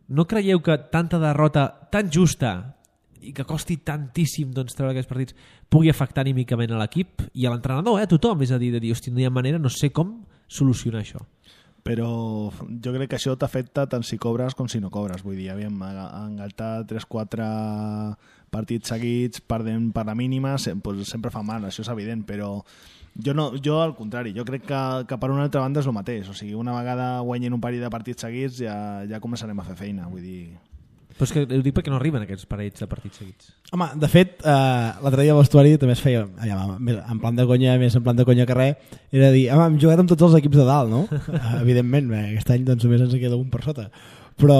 no creieu que tanta derrota tan justa i que costi tantíssim doncs, treure aquests partits pugui afectar anímicament a l'equip i a l'entrenador, a tothom, és a dir, de dir, hosti, no hi ha manera, no sé com solucionar això. Però jo crec que això t'afecta tant si cobres com si no cobres. Vull dir, engaltar 3-4 partits seguits perdent per la mínima pues sempre fa mal, això és evident, però jo al contrari, jo crec que per una altra banda és el mateix, o sigui, una vegada guanyen un parell de partits seguits ja començarem a fer feina, vull dir... Però és que ho dic perquè no arriben aquests parells de partits seguits. Home, de fet, l'altre dia al vestuari també es feia, en plan de conya, més en plan de conya que res, era dir, hem jugat amb tots els equips de dalt, no? Evidentment, aquest any doncs, només ens queda un per sota. Però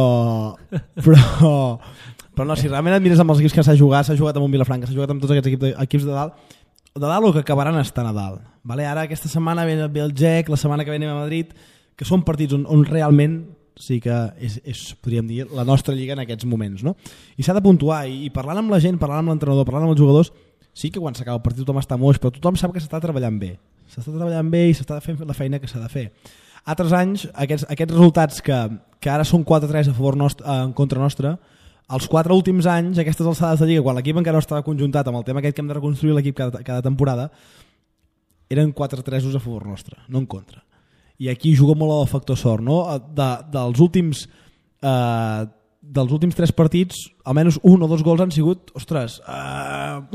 no, si realment et mires amb els equips que s'ha jugat amb un Vilafranca, s'ha jugat amb tots aquests equips de dalt o que acabaran estant a dalt. Vale? Ara aquesta setmana ve el GEC, la setmana que ve anem a Madrid, que són partits on realment sí que és, podríem dir, la nostra lliga en aquests moments, no? I s'ha de puntuar, i parlant amb la gent, parlant amb l'entrenador, parlant amb els jugadors, sí que quan s'acaba el partit tothom està moix, però tothom sap que s'està treballant bé. S'està treballant bé i s'està fent la feina que s'ha de fer. Altres anys, aquests resultats que ara són 4-3 a favor en contra nostra, els 4 últims anys, aquestes alçades de lliga, quan l'equip encara no estava conjuntat amb el tema aquest que hem de reconstruir l'equip cada temporada, eren 4-3 a favor nostre, no en contra. I aquí juga molt el factor sort, no? Dels últims 3 partits, almenys 1 o 2 gols han sigut, ostres,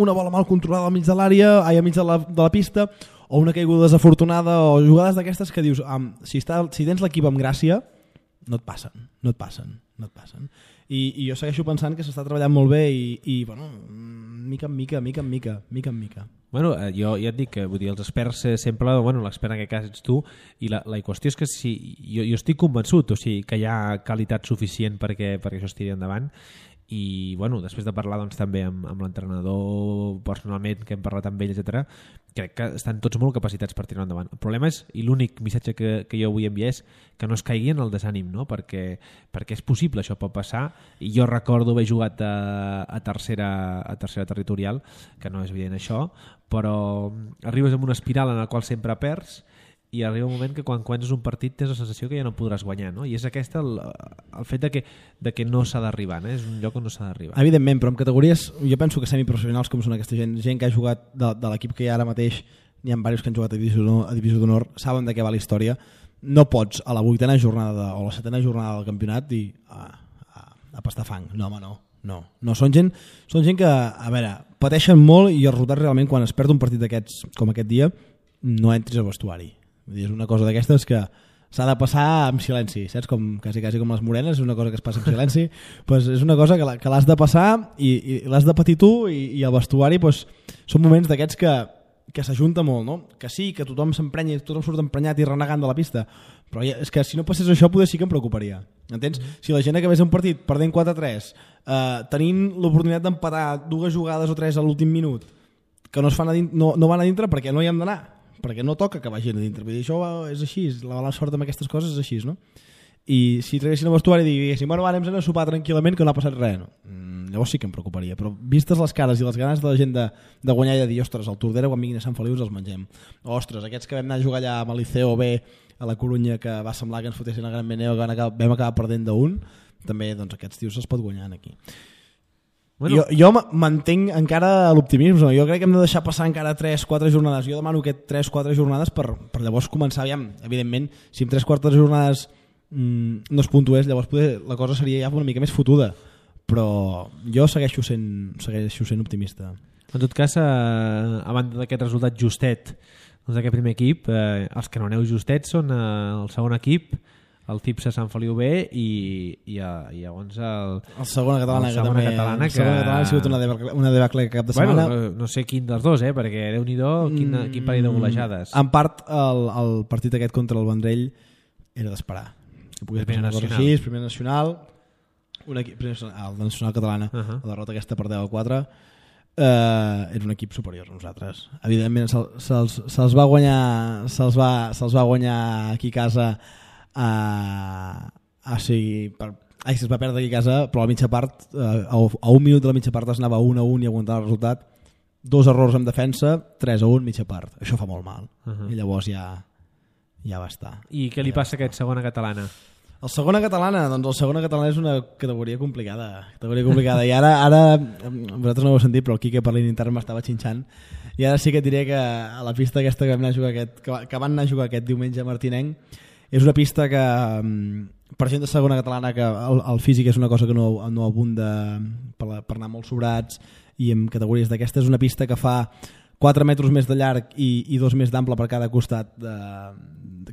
una bola mal controlada al mig de l'àrea, al mig de la pista, o una caiguda desafortunada, o jugades d'aquestes que dius, si tens l'equip amb gràcia, no et passen. I jo segueixo pensant que s'està treballant molt bé i bueno, mica en mica. Bueno, jo ja et dic que vull dir, els experts sempre, bueno, l'expert en aquest cas ets tu, i la qüestió és que jo estic convençut, o sigui, que hi ha qualitat suficient perquè això es tiri endavant, i bueno, després de parlar doncs, també amb l'entrenador personalment, que hem parlat amb ell, etc., crec que estan tots molt capacitats per tirar endavant. El problema és, i l'únic missatge que jo vull enviar és que no es caigui en el desànim, no? perquè és possible, això pot passar, i jo recordo haver jugat a tercera territorial, que no és evident això, però arribes en una espiral en la qual sempre perds, i arriba un moment que quan guanyes un partit tens la sensació que ja no podràs guanyar, no? I és aquest el fet de que no s'ha d'arribar, no? És un lloc on no s'ha d'arribar. Evidentment, però en categories, jo penso que semiprofessionals com són aquesta gent que ha jugat de l'equip que hi ha ara mateix, n'hi ha diversos que han jugat a Divisió d'Honor, saben de què va la història. No pots a la 8ª jornada o la 7ª jornada del campionat dir a pastar fang. No, home, no. Són gent que, a veure, pateixen molt, i els resultats realment, quan es perd un partit d'aquests com aquest dia, no entris al vestuari. És una cosa d'aquestes que s'ha de passar amb silenci, saps? Quasi com les morenes, és una cosa que es passa amb silenci, pues és una cosa que l'has de passar i l'has de patir tu, i el vestuari pues, són moments d'aquests que s'ajunta molt, no? Que sí, que tothom s'emprenya, tothom surt emprenyat i renegant de la pista, però és que si no passés això potser sí que em preocuparia, entens? Si la gent acabés un partit perdent 4-3, tenint l'oportunitat d'empatar 2 jugades o 3 a l'últim minut que no van a dintre perquè no hi hem d'anar, perquè no toca que vagin a dintre. Vull dir, això és així, la sort amb aquestes coses és així, no? I si traguessin al vestuari i diguessin, bueno, anem a sopar tranquil·lament que no ha passat res, no? Llavors sí que em preocuparia, però vistes les cares i les ganes de la gent de guanyar i de dir, ostres, al Tordera quan vinguin a Sant Feliu els mengem, ostres, aquests que vam anar a jugar allà amb el Liceo B a la Corunya, que va semblar que ens fotessin el Gran Beneu, que vam acabar perdent d'1, també doncs, aquests tios se'ls pot guanyar aquí. Bueno. Jo mantenc encara l'optimisme. Jo crec que hem de deixar passar encara 3-4 jornades. Jo demano que 3-4 jornades per llavors començar, aviam, evidentment, si en 3-4 jornades no es puntués, llavors la cosa seria ja una mica més fotuda, però jo segueixo sent optimista. En tot cas, a banda d'aquest resultat justet doncs d'aquest primer equip, els que no aneu justets són el segon equip, el CIPSA Sant Feliu B i llavors el segona catalana, el segona catalana que ha sigut una debacle cap de setmana. No sé quin dels dos, perquè Déu-n'hi-do quin parell de golejades. En part el partit aquest contra el Vendrell era d'esperar que pogués passar una cosa així, primer nacional, el nacional catalana, la derrota aquesta per 10-4, era un equip superior a nosaltres. Evidentment se'ls va guanyar aquí a casa es va perdre aquí a casa, però a la mitja part, a un minut de la mitja part es anava 1-1 i aguantava el resultat. 2 errors en defensa, 3-1 mitja part. Això fa molt mal. I llavors ja va estar. I què li passa a aquest segona catalana? El segona catalana, doncs el segona catalana és una categoria complicada. I ara vosaltres no ho heu sentit, però el Quique per l'intern m'estava xinxant. I ara sí que et diré que a la pista aquesta que van anar a jugar aquest diumenge a Martinenc és una pista que per gent de segona catalana que el físic és una cosa que no abunda per anar molt sobrats i en categories d'aquesta. És una pista que fa 4 metres més de llarg i 2 més d'ample per cada costat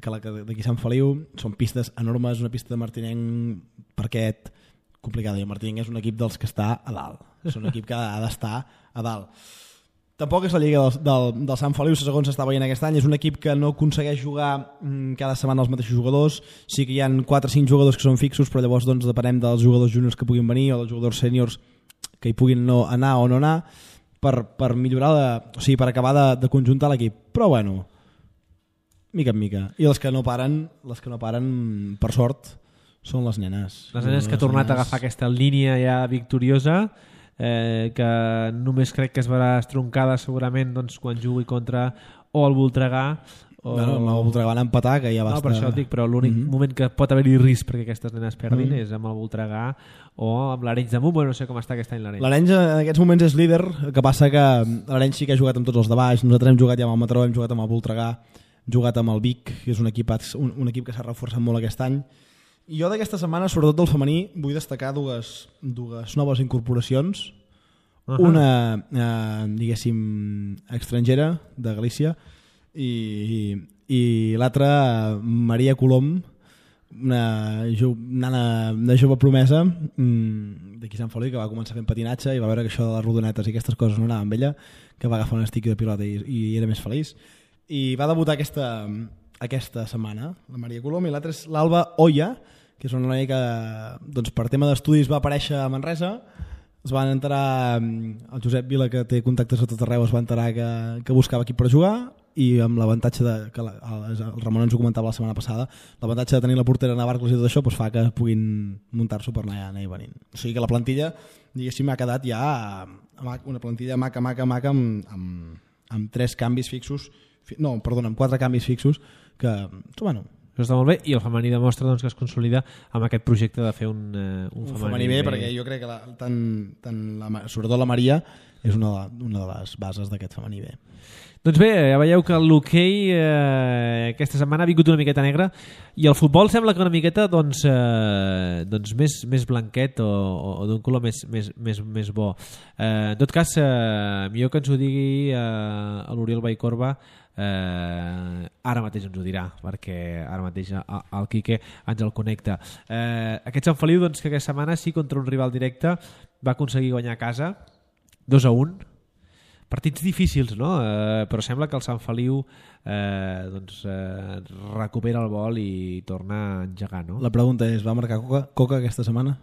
que la d'aquí Sant Feliu. Són pistes enormes, una pista de Martinenc parquet complicada, i el Martinenc és un equip dels que està a dalt, és un equip que ha d'estar a dalt. Tampoc és la lliga del Sant Feliu, segons s'està veient aquest any. És un equip que no aconsegueix jugar cada setmana els mateixos jugadors. Sí que hi ha 4 o 5 jugadors que són fixos, però llavors doncs, depenem dels jugadors juniors que puguin venir o dels jugadors sèniors que hi puguin anar o no anar per millorar, per acabar de conjuntar l'equip. Però bueno, mica en mica. I les que no paren, per sort, són les nenes. Les nenes que ha tornat a agafar aquesta línia ja victoriosa, que només crec que es verà estroncada segurament doncs, quan jugui contra o el Voltregà o... Bueno, el Voltregà va empatar, que ja va estar... Per això dic, però l'únic moment que pot haver-hi risc perquè aquestes nenes perdin és amb el Voltregà o amb l'Arenys de Munt. Bueno, no sé com està aquest any l'Arenys. L'Arenys en aquests moments és líder, el que passa que l'Arenys sí que ha jugat amb tots els de baix. Nosaltres hem jugat ja amb el Mataró, hem jugat amb el Voltregà, hem jugat amb el Vic, que és un equip que s'ha reforçat molt aquest any. I jo d'aquesta setmana, sobretot del femení, vull destacar dues noves incorporacions. Una, diguéssim, estrangera de Galícia i l'altra, Maria Colom, una jove promesa d'aquí Sant Feliu, que va començar fent patinatge i va veure que això de les rodonetes i aquestes coses no anava amb ella, que va agafar un estic de pilota i era més feliç. I va debutar aquesta setmana, la Maria Colom, i l'altra és l'Alba Oya, que és una noia que doncs, per tema d'estudis va aparèixer a Manresa. Es van enterar, el Josep Vila, que té contactes a tot arreu, es va enterar que buscava equip per jugar, i amb l'avantatge que el Ramon ens ho comentava la setmana passada, l'avantatge de tenir la portera Navarcles i tot això doncs fa que puguin muntar-s'ho per anar venint. O sigui que la plantilla, diguéssim, ha quedat ja una plantilla maca amb 3 canvis fixos, amb 4 canvis fixos, que, bueno... Això està molt bé, i el femení demostra doncs, que es consolida amb aquest projecte de fer un femení bé, perquè jo crec que sobretot la Maria és una de les bases d'aquest femení bé. Doncs bé, ja veieu que l'hoquei aquesta setmana ha vingut una miqueta negra i el futbol sembla que una miqueta doncs més blanquet o d'un color més bo. En tot cas, millor que ens ho digui l'Oriol Vallcorba, ara mateix ens ho dirà, perquè ara mateix el Quique ens el connecta. Aquest Sant Feliu doncs, que aquesta setmana sí, contra un rival directe, va aconseguir guanyar a casa 2-1. Partits difícils, no? Però sembla que el Sant Feliu recupera el vol i torna a engegar, no? La pregunta és, va marcar Coca aquesta setmana?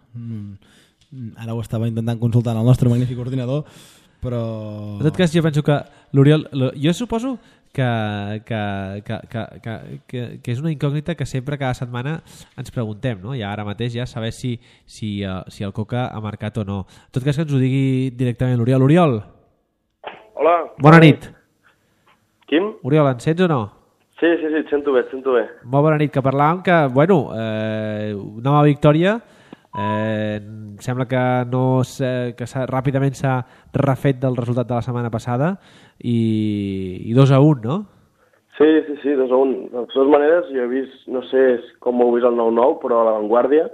Ara ho estava intentant consultar el nostre magnífic ordinador, però... En tot cas, jo penso que l'Oriol... Jo suposo que és una incògnita que sempre cada setmana ens preguntem, no? I ara mateix ja saber si el Coca ha marcat o no. En tot cas, que ens ho digui directament l'Oriol. Oriol! Hola. Bona nit. Quim? Oriol, ens sents o no? Sí, et sento bé. Molt bona nit, que parlàvem que, bueno, nova victòria, sembla que ràpidament s'ha refet del resultat de la setmana passada i 2-1, no? Sí, 2-1. De totes maneres, jo he vist, no sé com ho heu vist el 9-9, però a La Vanguardia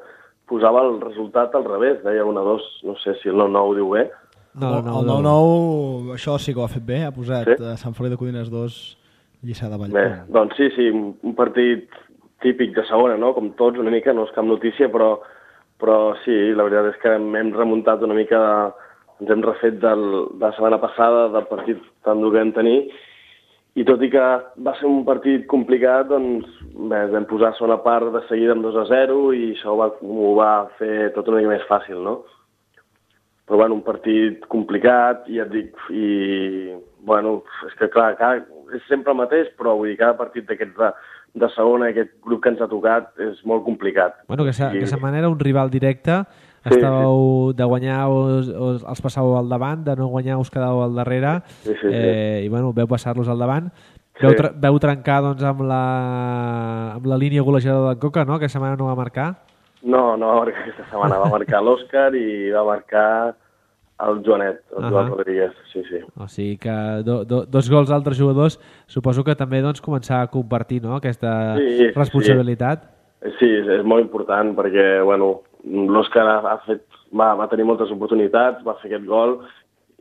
posava el resultat al revés, deia 1-2, no sé si el 9-9 ho diu bé. No, el 9-9, això sí que ho ha fet bé, ha posat Sant Feliu de Codines 2, Lliçà de Vallbona. Bé, doncs sí, un partit típic de segona, no? Com tots, una mica, no és cap notícia, però sí, la veritat és que hem remuntat una mica, ens hem refet de la setmana passada, del partit tan dur que vam tenir, i tot i que va ser un partit complicat, doncs bé, vam posar segona part de seguida amb 2-0 i això ho va fer tot una mica més fàcil, no? Però bueno, un partit complicat, i ja et dic, i bueno, és que clar, és sempre el mateix, però vull dir, cada partit d'aquests de segona, aquest grup que ens ha tocat, és molt complicat. Bueno, aquesta manera un rival directe, estàveu de guanyar els passàveu al davant, de no guanyar us quedàveu al darrere, i bueno, veu passar-los al davant. Veu trencar doncs, amb la línia golejadora d'en Coca, no? Aquesta setmana no va marcar? No va marcar aquesta setmana, va marcar l'Òscar i va marcar el Joanet, el Joan Rodríguez, sí. O sigui que dos gols d'altres jugadors, suposo que també doncs, començar a compartir, no?, aquesta responsabilitat. Sí, és molt important perquè, bueno, l'Òscar va tenir moltes oportunitats, va fer aquest gol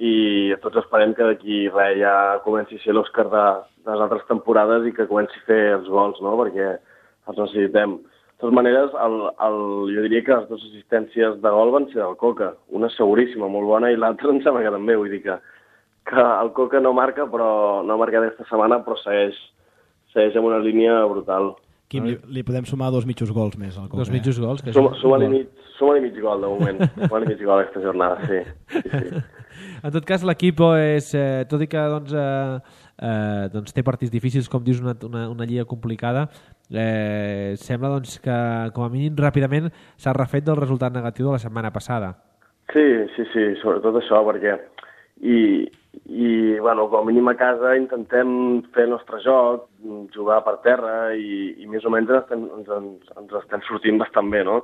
i tots esperem que d'aquí res ja comenci a ser l'Òscar de les altres temporades i que comenci a fer els gols, no?, perquè els necessitem. De totes maneres, jo diria que les dues assistències de gol van ser del Coca. Una seguríssima, molt bona, i l'altra em sembla que també. Vull dir que el Coca no marca, però no ha marcat aquesta setmana, però segueix amb una línia brutal. Quim, li podem sumar 2 mitjos gols més al Coca. 2 mitjos gols? Suma-li mig gol, de moment. Suma-li mig gol aquesta jornada, sí. En tot cas, l'equip és, tot i que té partits difícils, com dius, una lliga complicada, sembla doncs, que com a mínim ràpidament s'ha refet del resultat negatiu de la setmana passada. Sí, sobretot això, perquè bueno, com a mínim a casa intentem fer el nostre joc, jugar per terra i més o menys ens estem sortint bastant bé, no?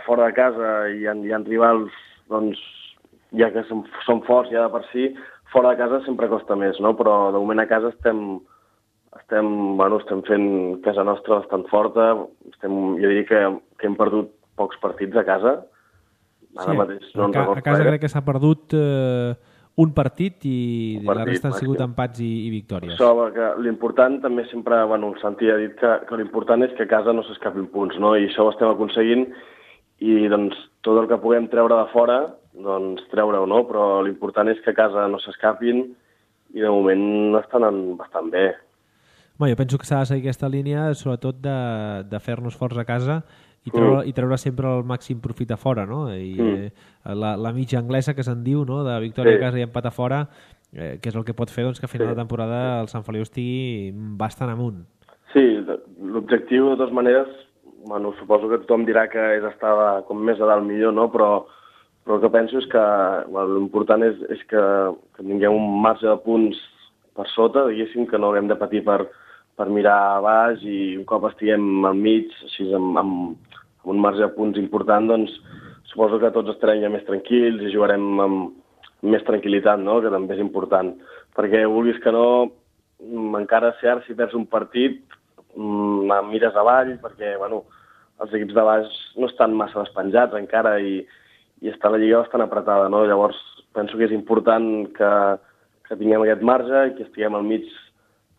Fora de casa hi ha rivals, doncs, ja que són forts ja de per si, fora de casa sempre costa més, no? Però de moment a casa estem fent casa nostra bastant forta, jo diria que hem perdut pocs partits a casa. Ara mateix no a casa crec que s'ha perdut un partit i la resta han sigut empats i victòries. Això, que l'important també sempre, bueno, el Santi ha dit que l'important és que a casa no s'escapin punts, no? I això ho estem aconseguint i doncs tot el que puguem treure de fora, doncs treure-ho, no? Però l'important és que a casa no s'escapin i de moment estan bastant bé. Jo penso que s'ha de seguir aquesta línia, sobretot de fer-nos forts a casa i treure sempre el màxim profit a fora, no? I la mitja anglesa que se'n diu, no?, de victòria a casa i empat a fora, que és el que pot fer doncs, que a final de temporada el Sant Feliu estigui bastant amunt. Sí, l'objectiu, de totes maneres, bueno, suposo que tothom dirà que és estar com més a dalt millor, no? Però el que penso és que l'important és que tinguem un marge de punts per sota, diguéssim, que no haguem de patir per mirar a baix i un cop estiguem al mig, així amb un marge de punts important, doncs suposo que tots estarem ja més tranquils i jugarem amb més tranquil·litat, no?, que també és important. Perquè vulguis que no, encara cert, si perds un partit, mires avall, perquè, bueno, els equips de baix no estan massa despenjats encara i està la lliga bastant apretada, no? Llavors penso que és important que tinguem aquest marge i que estiguem al mig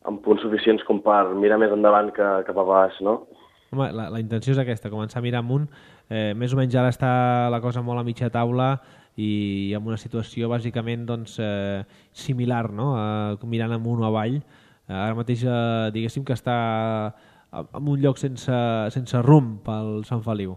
amb punts suficients com per mirar més endavant que cap a baix, no? Home, la intenció és aquesta, començar a mirar amunt. Més o menys ara està la cosa molt a mitja taula i amb una situació bàsicament doncs, similar, no?, mirant amunt o avall. Ara mateix diguéssim que està en un lloc sense rumb pel Sant Feliu.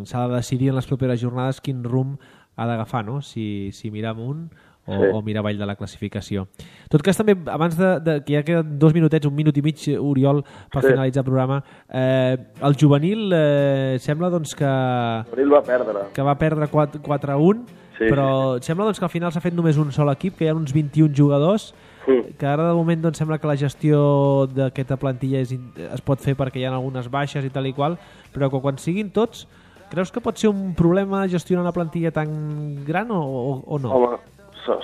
S'ha de decidir en les properes jornades quin rumb ha d'agafar, no?, si mirar amunt o mirar avall de la classificació. En tot cas, també, abans que ja queden 2 minutets, 1 minut i mig, Oriol, per finalitzar el programa, el juvenil sembla doncs, que... El juvenil va perdre. Que va perdre 4-1, però sembla doncs, que al final s'ha fet només un sol equip, que hi ha uns 21 jugadors, que ara de moment doncs, sembla que la gestió d'aquesta plantilla es pot fer perquè hi ha algunes baixes i tal i qual, però que quan siguin tots, creus que pot ser un problema gestionar una plantilla tan gran o no? Home,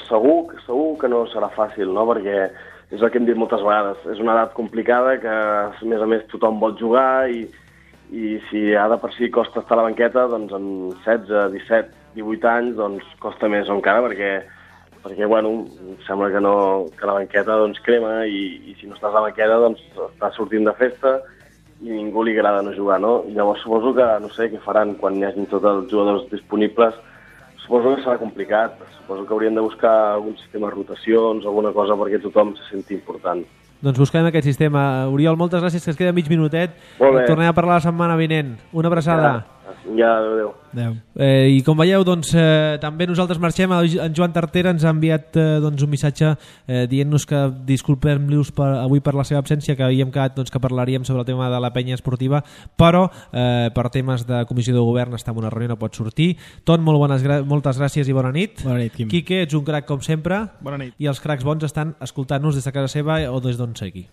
segur que no serà fàcil, no? Perquè és el que hem dit moltes vegades. És una edat complicada que, a més tothom vol jugar i si ha de per si costa estar a la banqueta, doncs en 16, 17, 18 anys doncs costa més encara perquè bueno, sembla que la banqueta doncs crema i si no estàs a la banqueta doncs estàs sortint de festa i ningú li agrada no jugar, no? I llavors suposo que, no sé, què faran quan hi hagin tots els jugadors disponibles. Suposo que serà complicat. Suposo que haurien de buscar algun sistema de rotacions o alguna cosa perquè tothom se senti important. Doncs buscarem aquest sistema. Oriol, moltes gràcies, que es queda mig minutet. Molt bé. Tornem a parlar la setmana vinent. Una abraçada. Ja. Ja, adéu. I com veieu, doncs, també nosaltres marxem. En Joan Tartera ens ha enviat un missatge dient-nos que disculpem-los avui per la seva absència, que havíem quedat que parlaríem sobre el tema de la penya esportiva, però per temes de comissió de govern està en una reunió, no pot sortir. Ton, moltes gràcies i bona nit. Bona nit, Quim. Quique, ets un crac com sempre. Bona nit. I els cracs bons estan escoltant-nos des de casa seva o des d'on sigui.